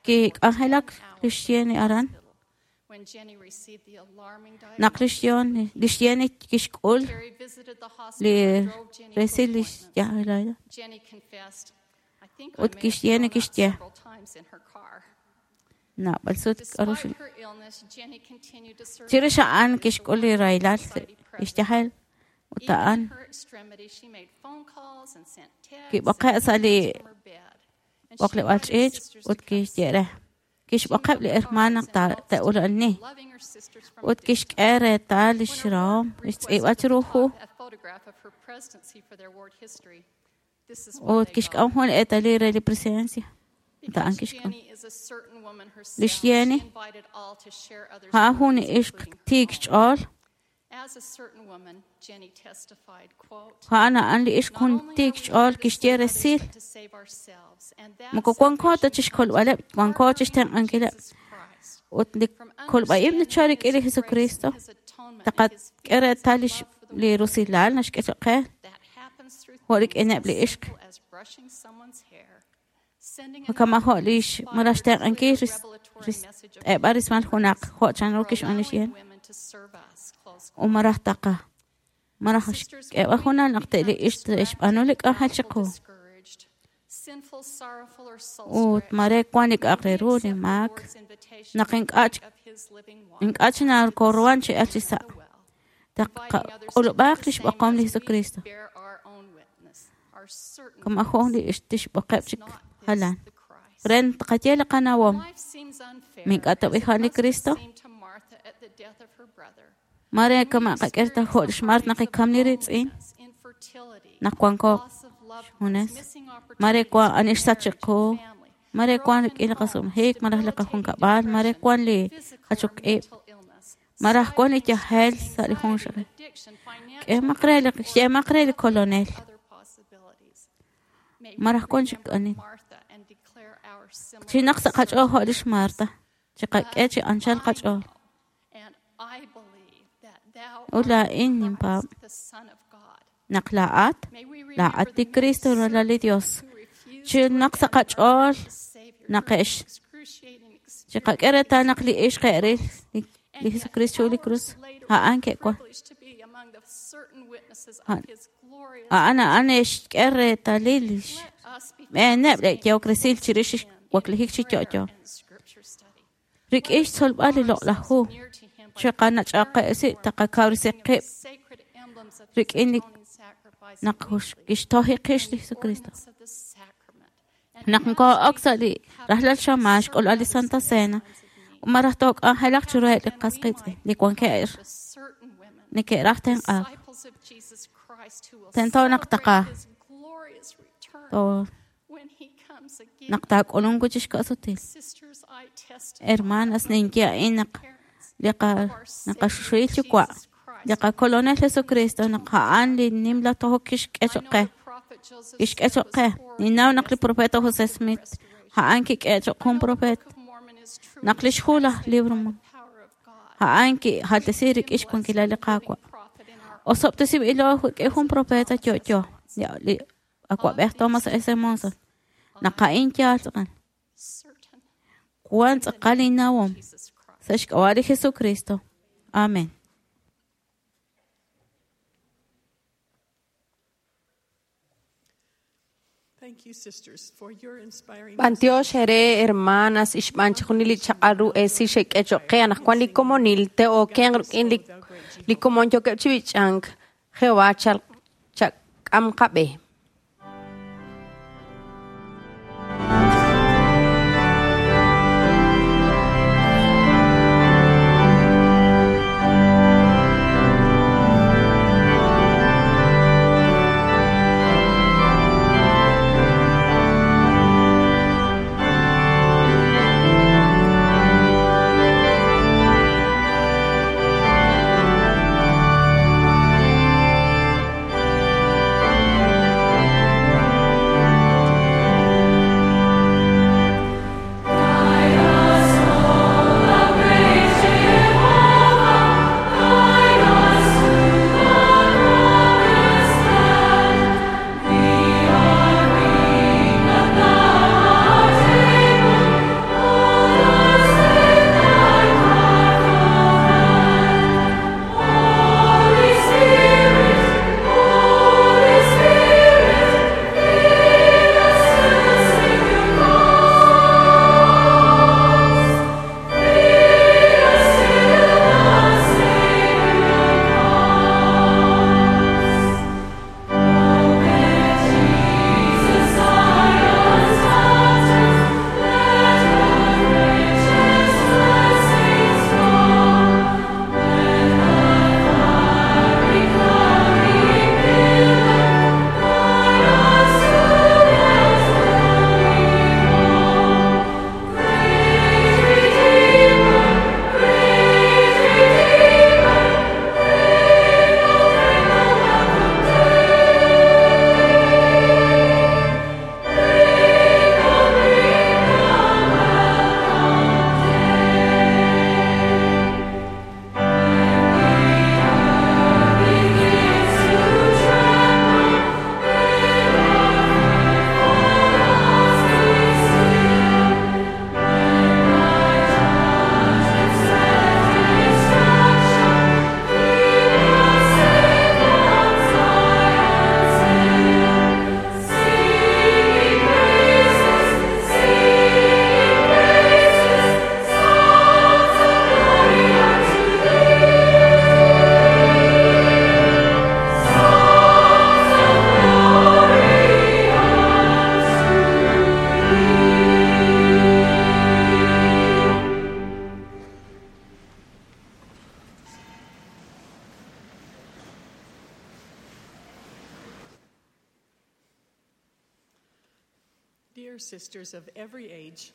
Speaker 5: kik'anjelak li xYanny aran. Naq li xYanny kixk'ul li resil li xyajel ut kixYanny kixye naab'al sut k'aru chirix a'an kixk'ul li rahilal li xyajel ut a'an kib'oqe' sa' li b'oqleb'aal ch'iich' ut kixye re kixb'oqeb' li hermana naq te'ula'ani ut kixk'e reetal lix rahom lix tz'iib'a chiru hu ut kixk'am jun li eetalil re li presidencia ut a'an kixk'am. Li xYanny a'an jun li ixq tiik xch'ool. A'an a'an li ixq jun tiik xch'ool kixye resil. Moko wanko ta chixkolb'aleb', wanko chixtenq'ankileb'. Ut li kolb'a'ib' nachal rik'in li Jesucristo taqak'e reetal li rusilal naxk'e choq' qe jo' rik'ineb' li ixq. Kama jo' lix malaj xtenq'ankil rist'eb'al rismal junaq jo' chanru kixb'aan li xYanny. U malaj taqa malaj xk'eeb'al junal naq te'li ixq te'xb'aanu li k'anjel chiqu. Ut mare wan li k'a'aq re ru li maak naq ink'a' chi nakoruhan chi el chi sa'. Taqak'ulub'aq lix b'oqom li Jesucristo. Kama jo' li ixq tixb'oqeb' chik jalan. Re taqaye li qanawom. Mink'a' tob'ijal li Cristo. Mare kama qak'e ta jo' lix Marta naq kikam li riitz'in. Naq wanko xjunes. Mare wan ani xsach chiqu. Mare wan rik'in li qasumhik, malaj li qajunkab'al, mare wan li jachok ib'. Maraj wan li yajel sa' li junxaqil. K'emaq re li xyemaq re li Kolonel. Maraj wan chik ani. Chinaq sa' qach'ool jo' lix Marta. Chiqak'e chi anchal qach'ool. Ut laa'in ninpaab' naq laa'at, laa'at li Cristo ralal li Dios. Chinaq sa' qach'ool naq chiqak'e reetal naq li ixq e'ril li Jesucristo chu li krus a'an ke'wan. A'an a'an xk'e reetalil xb'eeneb' li yehok resil chirix xwaklijik chi yo'yo. Rik'in xtzolb'al li loq'laj hu, chiqanach'aqe'si taqakawresi qib' rik'in li naq kixtoji qix li Jesucristo. Naq nko'ok sa' li rajlal xamaan xk'ulb'al li Santa Cena, malaj took'anjelaq chiruheb' li qas qiitz'in li wankeb' neke'raj tenq'aak. Tento naq taqa naq taak'ulunk chi xka'sutil. Hermanas, ninye a'in naq li naqaxuxuhil yuwa' li qakolonel Jesucristo naq a'an li nimla tojok kixk'e choq' qe. Kixk'e choq' qe. Ninnaw naq li profeta José Smith a'an kik'e choq' jun profet. Naq lix hu laj libro a'an kijaltesi rik'in xwankilal li Qaawa'. Osob'tesinb'ilo rik'in jun profeta yo'yo li awa'b'ej Thomas S. Monson. Naq a'in yaal tz'aqal. Wan tz'aqal innawom sa' xk'ab'a' li Jesucristo. Amen.
Speaker 6: B'antiox ere hermanas ixb'an chijunil li chaq'al ru esil xek'e choq' qe anaqwan li komonil te'okenq rik'in li komon yookeb' chi b'ich'ank Jehová chak'am qab'e.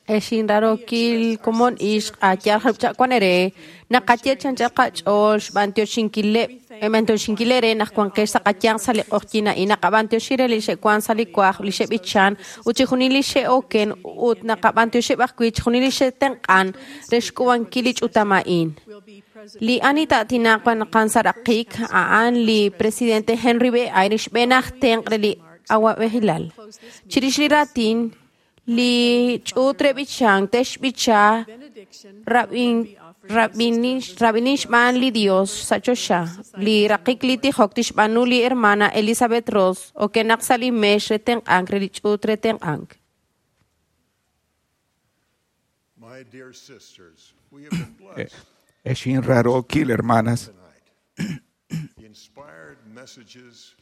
Speaker 6: Exin rarokil komon ixq ayal jalpchakwan ere naqaye chanchal qach'ool xb'antioxinkileb' b'antioxinkilere naq wanqex sa' qayanq sa' li q'oqyin a'in naqab'antioxi re li xe'wan sa' li kuaj li xe'b'ichan ut chijunil li xe'oken ut naqab'antioxeb' ajwi' chijunil li xe'tenq'an re xk'uub'ankil li ch'utam a'in. Li ani ta'tinaq qan sa' raqik a'an li presidente Henry B. Eyring xb'een aj tenq' re li awa'b'ejilal. Chirix li raatin li ch'uut re b'ichank te'xb'icha Rab'inin xb'aan li Dios sa' choxa. Li raqik li tijok tixb'aanu li hermana Elizabeth Ross okenaq sa' li meex re tenq'ank re li ch'uut re tenq'ank.
Speaker 7: My dear sisters, we have been blessed
Speaker 2: Exin rarokil, hermanas.
Speaker 7: tonight. The inspired messages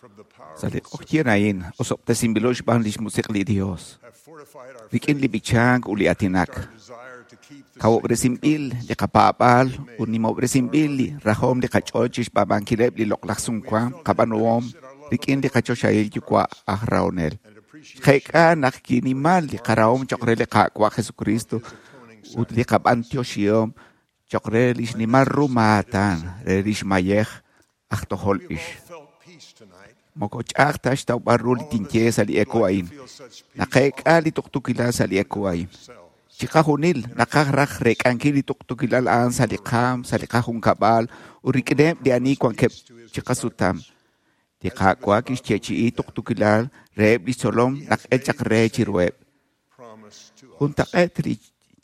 Speaker 7: from the
Speaker 2: Sa li
Speaker 7: powerful
Speaker 2: q'oqyin a'in, osob'tesinb'ilo xb'aan lix musiq li Dios.
Speaker 7: have fortified our
Speaker 2: Rik'in li
Speaker 7: faith,
Speaker 2: b'ichank ut li atinak.
Speaker 7: our desire to keep the
Speaker 2: Kawob'resinb'il li qapaab'aal ut nimob'resinb'il li rajom li qach'ool chixb'ab'ankileb' li loq'laj sumwank qab'anuhom rik'in li qachoxahil yuwa' aj rahonel.
Speaker 7: and appreciation
Speaker 2: Xqeek'a naq kinimal li qarahom choq' re li Qaawa' Jesucristo ut li qab'antioxihom choq' re lix nimal ru maatan re lix mayej aj tojol
Speaker 7: We've
Speaker 2: ix.
Speaker 7: all felt peace tonight.
Speaker 2: Moko ch'a'aj ta xtawb'al ru li
Speaker 7: All of us
Speaker 2: tinye sa' li
Speaker 7: would
Speaker 2: eko
Speaker 7: like to
Speaker 2: a'in.
Speaker 7: feel such peace
Speaker 2: Naqeek'a li tuqtuukilal sa' li eko a'in.
Speaker 7: ourselves.
Speaker 2: Chiqajunil naqaj raj reek'ankil li tuqtuukilal a'an sa' li qaam, sa' li qajunkab'al ut rik'ineb' li ani wankeb' chiqasutam. Li Qaawa' kixyeechi'i tuqtuukilal reheb' li tzolom naq el chaq re chiruheb'.
Speaker 7: Promise to us.
Speaker 2: Juntaq'eet li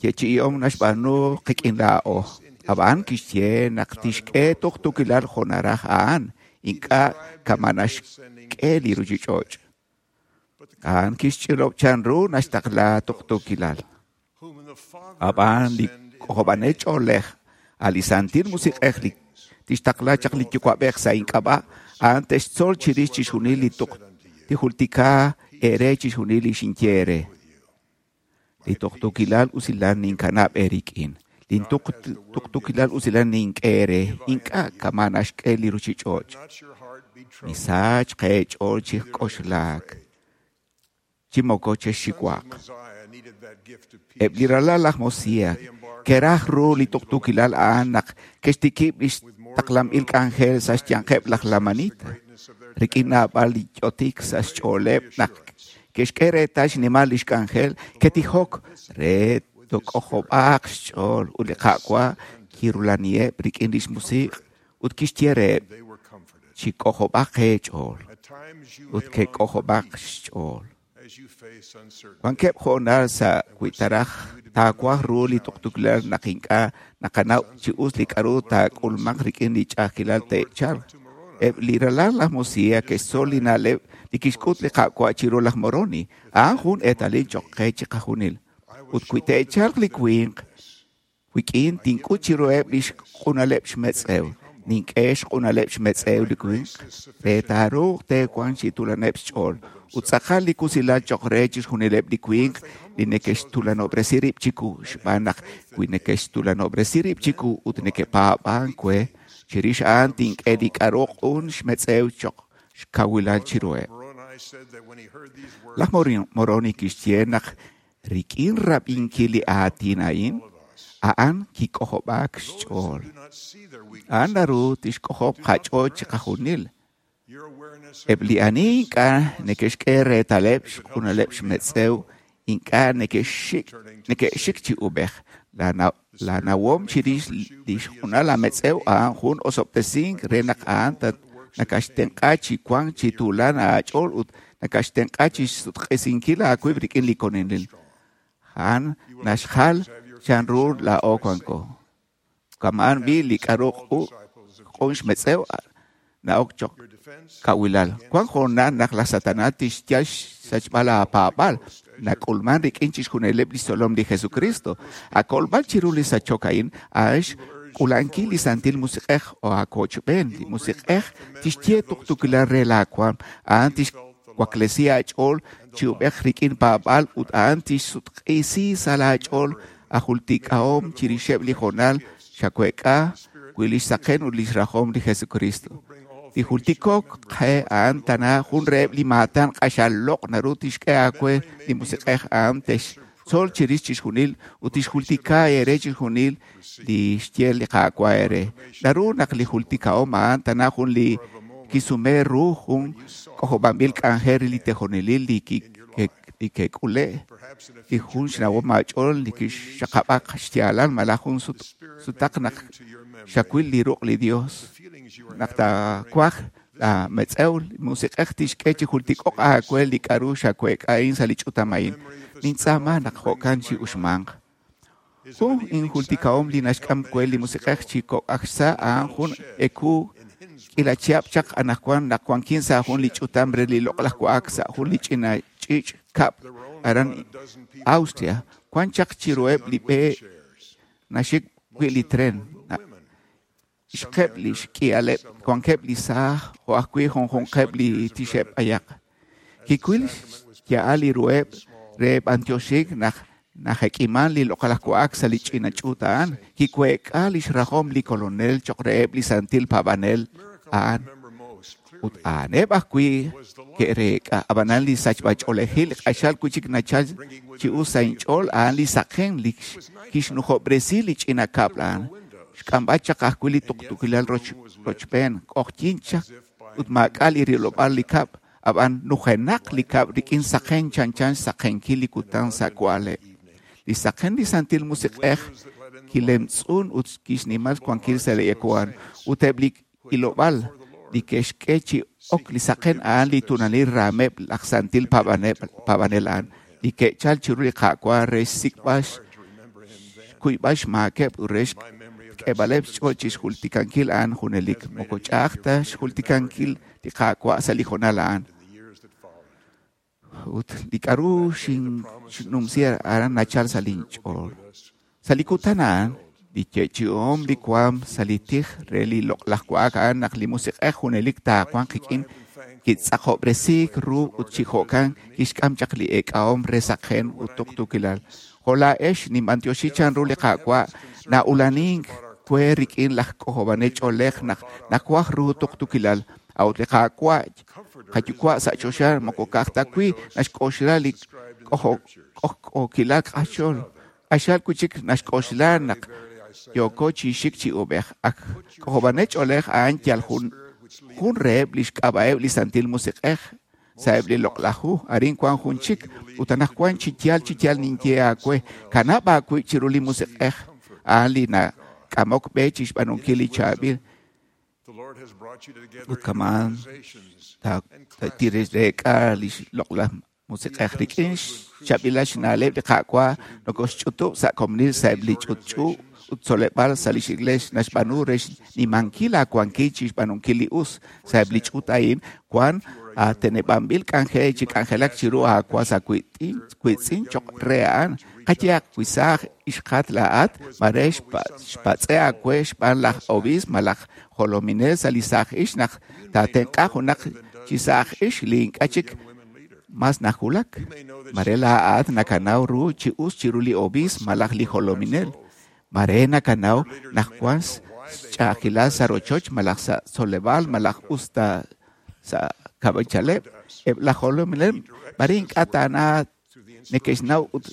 Speaker 2: yeechi'ihom naxb'aanu qik'in laa'o. Ab'an kixye naq tixk'e tuqtuukilal jo' naraj a'an, ink'a' kama naxk'e li ruuchich'och'.
Speaker 7: But the
Speaker 2: A'an kixch'ilob' chanru naxtaqla tuqtuukilal.
Speaker 7: whom the Father
Speaker 2: Ab'an
Speaker 7: will
Speaker 2: li
Speaker 7: send in
Speaker 2: k'ojob'anel ch'oolej a' li Santil Musiq'ej li tixtaqla chaq li Yuwa'b'ej sa' ink'ab'a', a'an te'xtzol chirix chixjunil li tuq tijultika eere chixjunil li xinye eere. Li tuqtuukilal usilal ninkanab' eerik'in. Li tuqtuukilal usilal nink'e eere, ink'a' kama naxk'e li ruuchich'och'.
Speaker 7: Not your heart be troubled.
Speaker 2: Misach qeech'ool chi k'oxlaak, chi moko chexxiwaq.
Speaker 7: Mosiah needed that gift of peace.
Speaker 2: Eb' li ralal laj Mosiah ke'raj ru li tuqtuukilal a'an naq ke'xtikib' lix taqlanb'il k'anjel sa' xyanqeb' laj Lamanita. Rik'in naab'al li ch'otik sa' xch'ooleb' naq ke'xk'e reetal xnimal lix k'anjel, ke'tijok re tok'ojob'aaq xch'ool ut li Qaawa' kirulaniheb' rik'in lix musiq' ut kixye reheb'
Speaker 7: They were comforted.
Speaker 2: chi k'ojob'aq eech'ool
Speaker 7: At times you
Speaker 2: ut
Speaker 7: may long for
Speaker 2: ke'k'ojob'aq
Speaker 7: peace
Speaker 2: xch'ool.
Speaker 7: as you face uncertainty.
Speaker 2: Wankeb' hoonal sa' wi taraj taawaj ru li tuqtuukilal naq ink'a' naqanaw chi us li k'a'ru taak'ulmanq rik'in li ch'a'ajkilal te'chalq. Eb' li ralal laj Mosiah ke'xtzol li na'leb' li kixk'ut li Qaawa' chiru laj Moroni. A'an jun eetalil choq' qe chiqajunil. Ut wi te'chalq li winq, wik'in tink'ut chiruheb' li xq'unaleb' xmetz'ew. Nink'e xq'unaleb' xmetz'ew li winq re taaruuq teewanq chi tulaneb' xch'ool. Ut tz'aqal li kusilal choq' re chixjunileb' li winq li neke'xtulanob'resi rib' chiku xb'aan naq wi neke'xtulanob'resi rib' chiku ut neke'paab'ank we, chirix a'an tink'e li k'a'ru q'un xmetz'ew choq' xkawilal chiruheb'.
Speaker 7: Moroni said that when he heard these words,
Speaker 2: Laj Moroni kixye naq rik'in rab'inkil li aatin a'in, a'an kik'ojob'aak xch'ool.
Speaker 7: do not see their weakness.
Speaker 2: A'an naru tixk'ojob' qach'ool chiqajunil.
Speaker 7: Your awareness
Speaker 2: Eb' li ani ink'a' neke'xk'e reetaleb' xq'unaleb' xmetz'ew, ink'a' neke'xik chi ub'ej. La nawom chirix li xq'unal ametz'ew a'an jun osob'tesink re naq a'an nakaxtenq'a chi wank chi tuulan aach'ool ut nakaxtenq'a chi xsutq'isinkil aawib' rik'in li Kolonel. A'an naxjal chanru laa'o wanko. Kama'an b'i li k'a'ru q'un xmetz'ew na'ok choq'
Speaker 7: your defense
Speaker 2: kawilal. Wank hoonal naq laj Satanas tixyal xsachb'al aapaab'al. Nak'ulman rik'in chixjunileb' li xtzolom li Jesucristo. Akolb'al chiru li sachok a'in, a'an xk'ulankil li Santil Musiq'ej o aakochb'een. Li Musiq'ej tixye tuqtuukilal re laawaam. A'an tixwaklesi aach'ool chi ub'ej rik'in paab'al ut a'an tixsutq'isi sa' laach'ool ajultik'ahom chirixeb' li hoonal xaweek'a wi lix saqen ut lix rajom li Jesucristo. Li jultikok qe a'an tana jun reheb' li maatan q'axal loq' naru tixk'e aawe li musiq'ej a'an textzol chirix chixjunil ut tixjultika eere chixjunil li xye li Qaawa' eere. Naru naq li jultikahom a'an tana jun li kisume ru jun k'ojob'anb'il k'anjel re li tejonelil li ke'k'ule'
Speaker 7: perhaps in a
Speaker 2: li jun xnawom aach'ool li kixxaqab'aq xyaalal malaj jun sutaq naq xawil li ruq' li Dios.
Speaker 7: feelings you are
Speaker 2: Naq taakwaj la metz'ew li musiq'ej tixk'e chi jultik'oq aawe li k'a'ru xaweek'a'in sa' li ch'utam a'in. Nintz'aama naq jo'kan chi uxmanq. Jun injultikahom li naxk'am we li musiq'ej chi kok' aj xsa' a'an jun eku k'iila chihab' chaq anaqwan naq wankin sa' jun li ch'utam re li loq'laj wa'ak sa' jun li ch'ina ch'iich' kab' aran Austria. Wan chaq chiruheb' li b'e naxik wi' li tren. Ixqeb' li xk'ihaleb' wankeb' li saaj jo' ajwi' junjunqeb' li tixeb' ayaq. Kiwil xya'al li ruheb' re b'antioxik naq najek'iman li loq'laj wa'ak sa' li ch'ina ch'uut a'an. Kiweek'a lix rajom li kolonel choq' reheb' li santil paab'anel a'an. Ut a'aneb' ajwi' ke'reek'a. Ab'anan li sachb'ach'oolejil q'axal wi' chik nachal chi us sa' inch'ool a'an li saqen li kixnujob'resi li ch'ina kab'l a'an. Xk'amb'al chaq ajwi' li tuqtuukilal rochb'een q'oqyink chaq ut maak'a' li rilob'aal li kab', ab'an nujenaq li kab' rik'in saqen chanchan xsaqenkil li kutan sa' wa'leb'. Li saqen li Santil Musiq'ej kilemtz'un ut kixnimal xwankil sa' li ekuan ut eb' li ilob'aal li ke'xk'e chi ok li saqen a'an li tunalil raameb' laj santil paab'anel a'an li ke'chal chiru li Qaawa' re xsik'b'al xkuyb'al xmaakeb' ut re xk'eeb'aleb' xch'ool chi xjultikankil a'an junelik. Moko ch'a'aj ta xjultikankil li Qaawa' sa' li hoonal a'an. Ut li k'a'ru xinumsi aran nachal sa' linch'ool. Sa' li kutan a'an, li yeechi'om li waam sa' li tij re li loq'laj wa'ak a'an naq li musiq'ej junelik taawanq qik'in kitz'aqob'resiik ru ut chi jo'kan kixk'am chaq li eek'ahom re saqen ut tuqtuukilal. Jo' laa'ex ninb'antioxi chanru li Qaawa' na'ulanink we rik'in laj k'ojob'anel ch'oolej naq nawaj ru tuqtuukilal. A'ut li Qaawa' qayuwa' sa' choxa moko ka'aj ta wi' naxk'oxla li k'ojk'ookilal q'axol. Q'axal wi' chik naxk'oxla naq yooko chi xik chi ub'ej. Ak k'ojob'anel ch'oolej a'an yal jun reheb' li xk'ab'a'eb' li Santil Musiq'ej sa'eb' li loq'laj hu. Arin wan jun chik ut anaqwan chi yaal ninye aawe. Kanab' aawib' chiru li musiq'ej a'an li nak'amok b'e chi xb'aanunkil li chaab'il. Ut kama'an tireek'a li loq'laj musiq'ej rik'in xchaab'ilal xna'leb' li Qaawa' nokoxch'utub' sa' komonil sa'eb' li ch'utch'u ut tzoleb'aal sa' lix iglees naxb'aanu re xnimankil aawankil chi xb'aanunkil li us. Sa'eb' li ch'uut a'in wan ateneb'anb'il k'anjel chi k'anjelak chiru aawas aawiitz'in choq' re a'an. Qayehaq wi saaj ixqat laa'at mare xpatz'e aawe xb'aan laj obiisp malaj jolominel sa' li saaj ix naq taatenq'a junaq chi saaj ix li ink'a' chik mas najulak. Mare laa'at nakanaw ru chi us chiru li obiisp malaj li jolominel. Mare nakanaw naq wan xch'a'ajkilal sa' rochoch malaj sa' tzoleb'aal malaj us ta sa' kab'ichaleb'. Eb' laj jolominel mare ink'a' taana neke'xnaw ut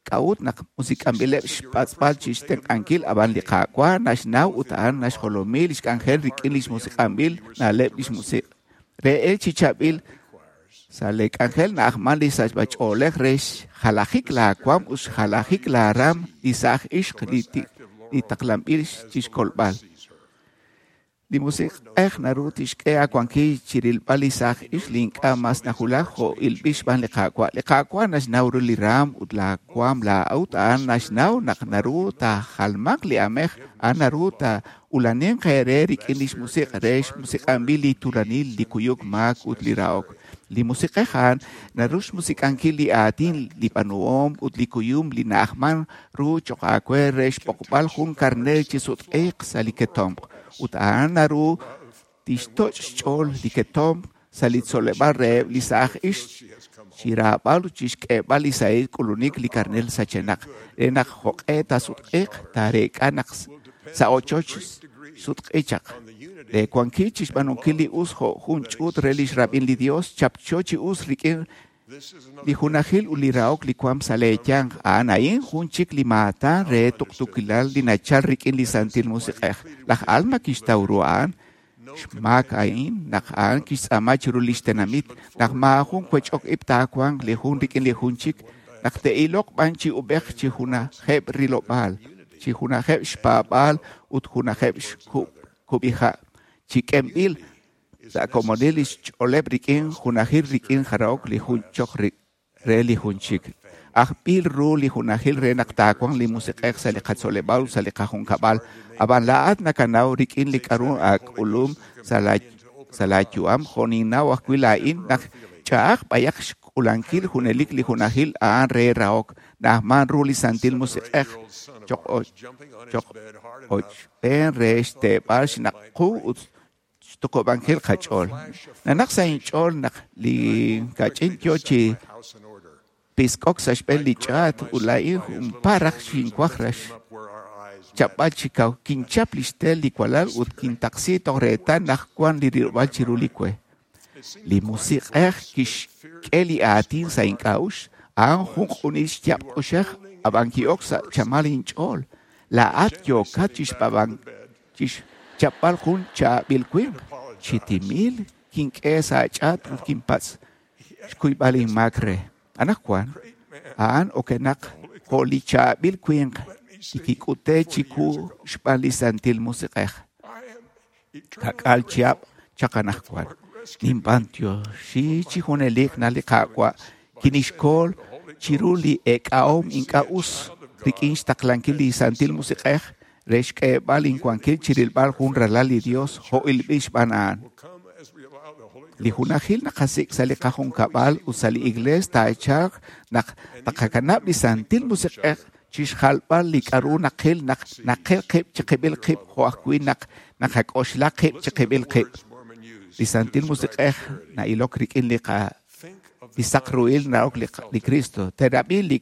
Speaker 2: k'a'ut naq musik'anb'ileb' xpatz'b'al chi xtenq'ankil ab'an li Qaawa' naxnaw ut a'an naxjolomi lix k'anjel rik'in lix musiq'anb'il na'leb' lix musiq'. Re el chi chaab'il sa' li k'anjel na'ajman li sachb'ach'oolej re xjalajik laawaam ut xjalajik laaram li saaj ixq li taqlanb'il chixkolb'al. Li musiq'ej naru tixk'e aawankil chi rilb'al li saaj ix li ink'a' mas najulak jo' ilb'il xb'aan li Qaawa'. Li Qaawa' naxnaw ru li raam ut laawaam laa'ut a'an naxnaw naq naru taajalmaq li amej, a'an naru taa'ulaninq eere rik'in lix musiq' re xmusiq'anb'il li tuulanil, li kuyuk maak ut li rahok. Li musiq'ej a'an naru xmusiq'ankil li aatin, li b'aanuhom ut li kuyum li na'ajman ru choq' aawe re xb'oqb'al jun karneer chi sutq'iiq sa' li ketomq. Ut a'an naru tixtoch' xch'ool li ketomq sa' li tzoleb'aal reheb' li saaj ix chi raab'al ut chixk'eeb'al li sahil k'ulunik li karneer sachenaq. Re naq jo'q'e taasutq'iiq taareek'a naq sa' ochoch sutq'i chaq. Le wankil chi xb'aanunkil li us jo' jun ch'uut re lix rab'in li Dios chapcho chi us rik'in li junajil ut li rahok li waam sa' leeyanq. A'an a'in jun chik li maatan re tuqtuukilal li nachal rik'in li Santil Musiq'ej. Laj Alma kixtaw ru a'an xmaak a'in naq a'an kixtz'aama chiru lix tenamit naq maajun wech'ok ib' taawanq li jun rik'in li jun chik naq te'iloq b'an chi ub'ej chi junajeb' rilob'aal, chi junajeb' xpaab'aal ut junajeb' xkub'iha', chi k'emb'il sa' komonil li xch'ooleb' rik'in junajil rik'in jarahok li jun choq re li jun chik. Ajb'il ru li junajil re naq taawanq li musiq'ej sa' li qatzoleb'aal ut sa' li qajunkab'al. Ab'an laa'at nakanaw rik'in li k'aru aak'ulum sa' laayu'am jo' ninnaw ajwi' laa'in naq ch'a'aj b'ayaq xk'ulankil junelik li junajil a'an re rahok. Na'ajman ru li Santil Musiq'ej choq' ochb'een re xteeb'al xnaq qu ut xtuqub'ankil qach'ool. Nanaq sa' inch'ool naq li kach'in yo chi pisk'ok sa' xb'een li ch'aat ut laa'in junparaj xinwaj rax chapb'al chi kaw. Kinchap li xtel li walal ut kintaqsi toj reetal naq wan li rilob'aal chiru li we. Li musiq'ej kixk'e li aatin sa' ink'a'uxl, a'an jun q'unil xyaab' k'uxej ab'an ki'ok sa' chamal inch'ool. Laa'at yookat chixchapb'al jun chaab'il winq. Chi timil kink'e sa' ch'aat ut kinpatz' xkuyb'al inmaak re. Anaqwan, a'an okenaq jo' li chaab'il winq li kik'ute chiwu xb'aan li Santil Musiq'ej. Kak'al chihab' chaq anaqwan. Ninb'antioxi chi junelik naq li Qaawa' kinixkol chiru li eek'ahom ink'a' us rik'in xtaqlankil li Santil Musiq'ej re xk'eeb'al inwankil chirilb'al jun ralal li Dios jo' ilb'il xb'aan a'an. Li junajil naqasik' sa' li qajunkab'al ut sa' li iglees taachalq naq taqakanab' li Santil Musiq'ej chixjalb'al li k'aru naqil naq naqil qib' chiqib'il qib' jo' ajwi' naq naqak'oxla qib' chiqib'il qib'. Li Santil Musiq'ej na'ilok rik'in li saq ruhil narok li Cristo. Teerab'i li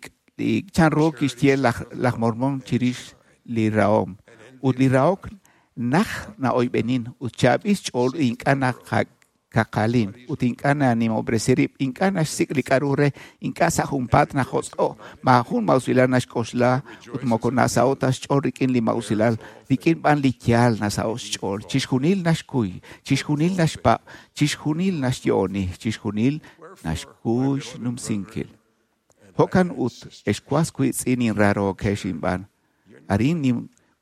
Speaker 2: chanru kixye laj Mormon chirix li rahom. Ut li rahok naj na'oyb'enin ut chaab'il xch'ool ink'a' naqakaqalin ut ink'a' nanimob'resi rib', ink'a' naxsik' li k'aru re, ink'a' sa' junpaat najotz'o', maajun ma'usilal naxk'oxla ut moko nasa'o ta xch'ool rik'in li ma'usilal, rik'in b'an li yaal nasa'o xch'ool. Chixjunil naxkuy, chixjunil naxpab', chixjunil naxyo'oni, chixjunil naxkuy xnumsinkil. Jo'kan ut ex was wiitz'in inrarookex inb'aan. Arin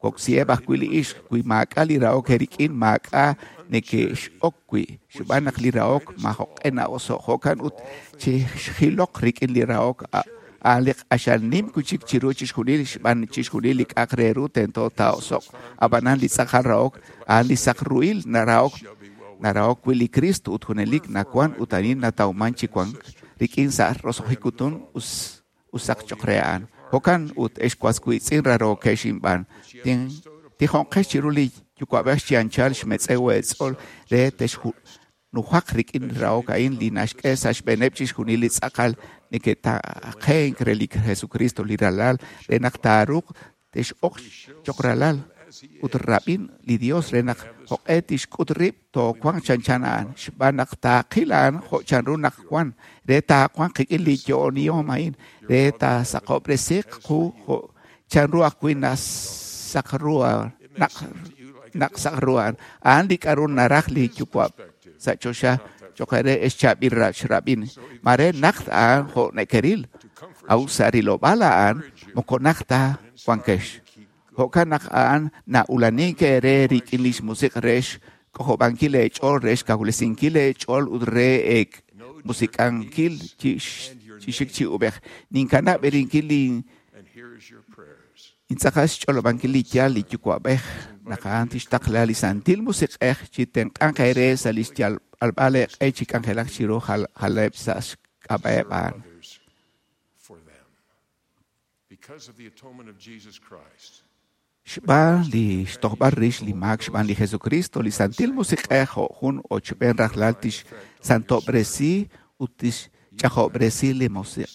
Speaker 2: woksieb' ajwi' li ixq wi maak'a' li rahok eerik'in maak'a' neke'x'ok wi' xb'aan naq li rahok majo'q'e na'oso'. Jo'kan ut chixjiloq rik'in li rahok a'an li q'axal nim wi' chik chiru chixjunil xb'aan chixjunil li k'a'aq re ru tento taa'oso'q. Ab'anan li tz'aqal rahok a'an li saq ruhil narahok wi' li Cristo ut junelik nawan ut arin natawman chi wank rik'in sa' roso'jik kutun usaq cho'q re a'an. Jo'kan ut ex was wiitz'in rarookex inb'aan. Tijonqex chiru li yuwa'b'ej chi anchal xmetz'ew eetz'ool re texnujaq rik'in rahok a'in li naxk'e sa' xb'eeneb' chixjunil li tz'aqal neke'taqenk re li Jesucristo li ralal re naq taaruuq tex'oq cho'q ralal ut rab'in li Dios re naq jo'q'e tixk'ut rib' toowanq chanchan a'an xb'aan naq taaqil a'an jo' chanru naq wan re taawanq qik'in li yo'onihom a'in re taasaqob'resiq qu jo' chanru ajwi' nasaq ru naq saq ru a'an. A'an li k'aru naraj li Yuwa' sa' choxa cho'q re ex chaab'il xrab'in. Mare naq a'an jo' nekeril a'ut sa' rilob'aal a'an moko naq ta wankex. Jo'kan naq a'an na'ulanink eere rik'in li xmusiq re xk'ojob'ankil eech'ool re xkawresinkil eech'ool ut re musik'ankil chi xik chi ub'ej. Ninkanab' erinkil li intz'aqal xch'olob'ankil li yaal li Yuwa'b'ej naq a'an tixtaqla li Santil Musiq'ej chi tenq'anq eere sa' li xyalb'al eeq'e chi k'anjelak chiru jaleb' sa' xk'ab'a'eb' a'an. Xb'aan li xtojb'al rix li maak xb'aan li Jesucristo, li Santil Musiq'ej jo' jun ochb'een rajlal tixsantob'resi ut tixch'ajob'resi li musiq'.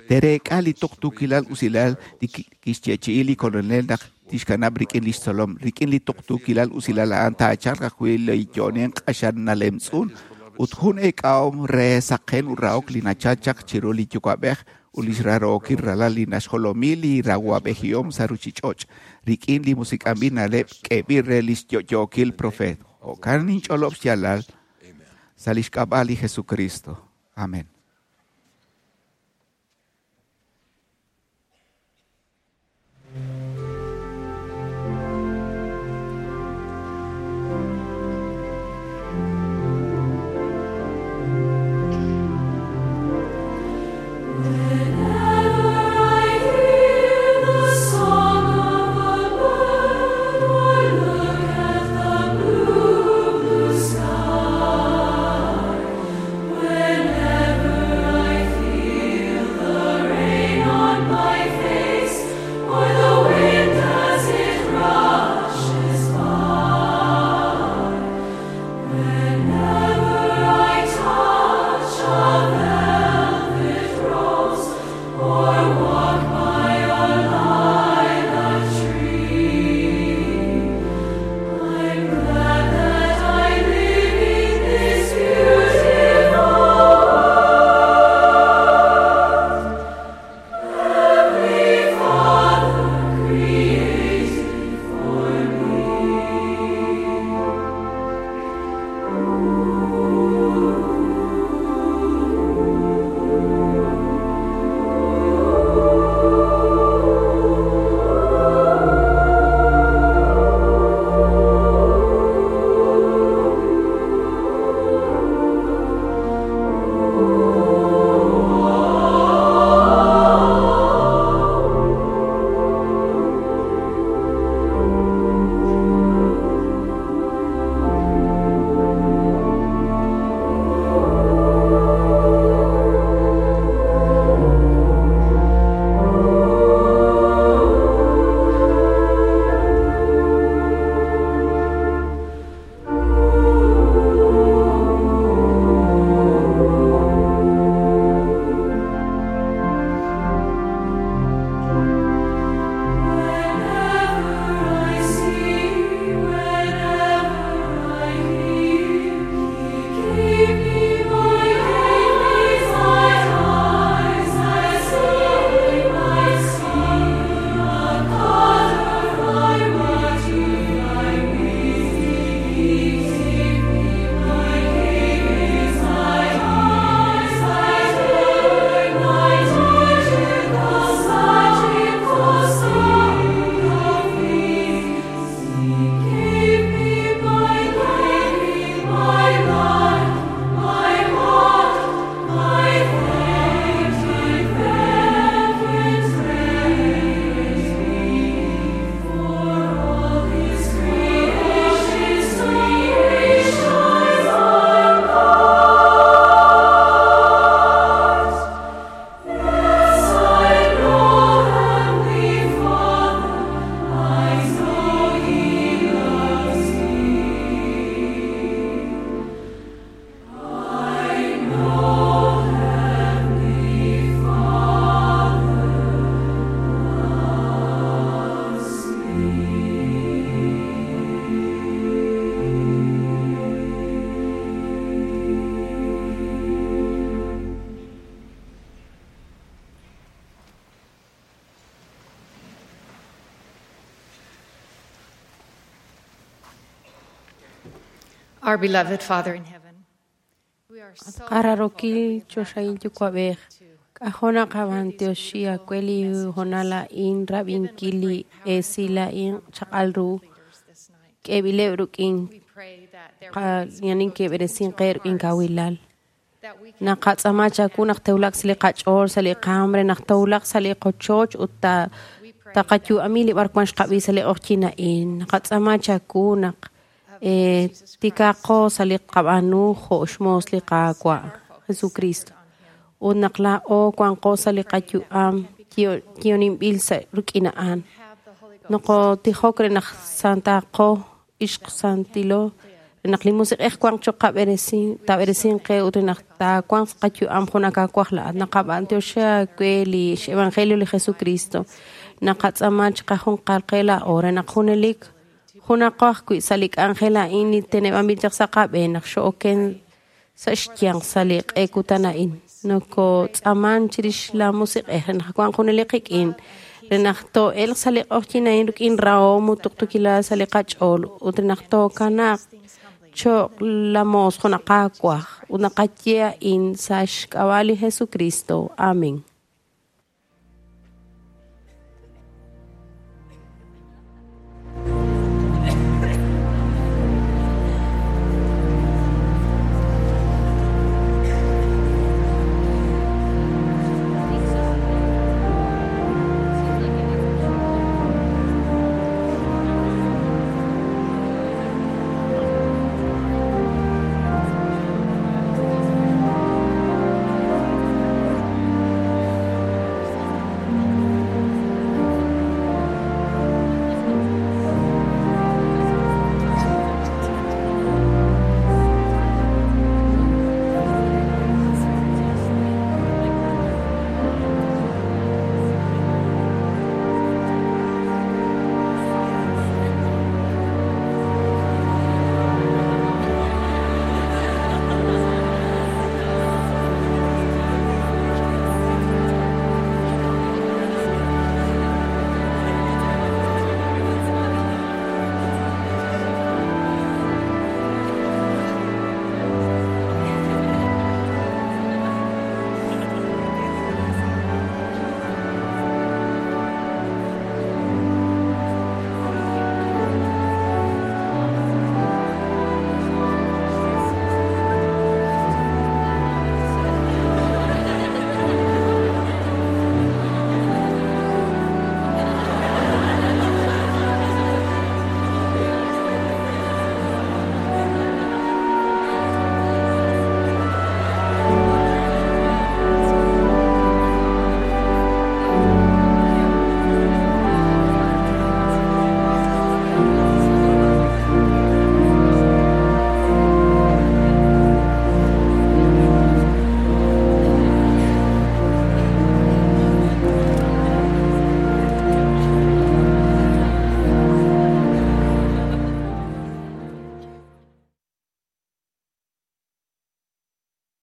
Speaker 2: Tereek'a li tuqtuukilal usilal li kixyeechi'i li Kolonel naq tixkanab' rik'in li xtzolom. Rik'in li tuqtuukilal usilal a'an taachalq ajwi' li yo'onink q'axal nalemtz'un ut jun eek'ahom re saqen ut rahok li nachal chaq chiru li Yuwa'b'ej ut li xrarookil ralal li naxjolomi li rawab'ejihom sa' ruchich'och' rik'in li musik'anb'il na'leb' k'eeb'il re li xyo'yookil profeet. Jo'kan ninch'olob' xyaalal sa' li xk'ab'a' li Jesucristo. Amén.
Speaker 3: When
Speaker 8: Our beloved Father in heaven, we are so
Speaker 6: Qararokil choxahil yukuab'ej k'ajona qab'antioxi akweli jonala in rab'inkil li esila in chaq'al ru k'eb'ileb' ruk'in yanin keb'eresin qe ruk'in kawilal naqatz'ama chaku naq tewlaq sa' li qach'ool sa' li qaam re naq tewlaq sa' li qochoch ut taqayu'ami li b'arwan xqab'i sa' li q'oqyin a'in naqatz'ama chaku naq tikaqo sa' li qab'anu jo' xmoos li Qaawa' Jesucristo ut naq laa'o wanqo sa' li qayu'am kioninb'il sa' ruk'in a'an noqotijok re naq santaqo ixq santilo re naq li musiq'ej wanq choq qab'eresin tab'eresin qe ut re naq taawanq qayu'am jun akawaj la'at naqab'antioxi aawe li x-evangelio li Jesucristo naqatz'ama chiqajunqal qe laa'o re naq junelik junaqo ajwi' sa' li k'anjel a'in li teneb'anb'il chaq sa' qab'een naq xo'oken sa' xyanq sa' li q'e kutan a'in nokotz'aman chirix la musiq'ej re naq wanq junelik qik'in re naq too'elq sa' li q'oqyin a'in ruk'in rahom ut tuqtuukilal sa' li qach'ool ut re naq tookanaq cho'q la moos jun aqaawaj ut naqaye a'in sa' xk'ab'a' li Jesucristo. Amén.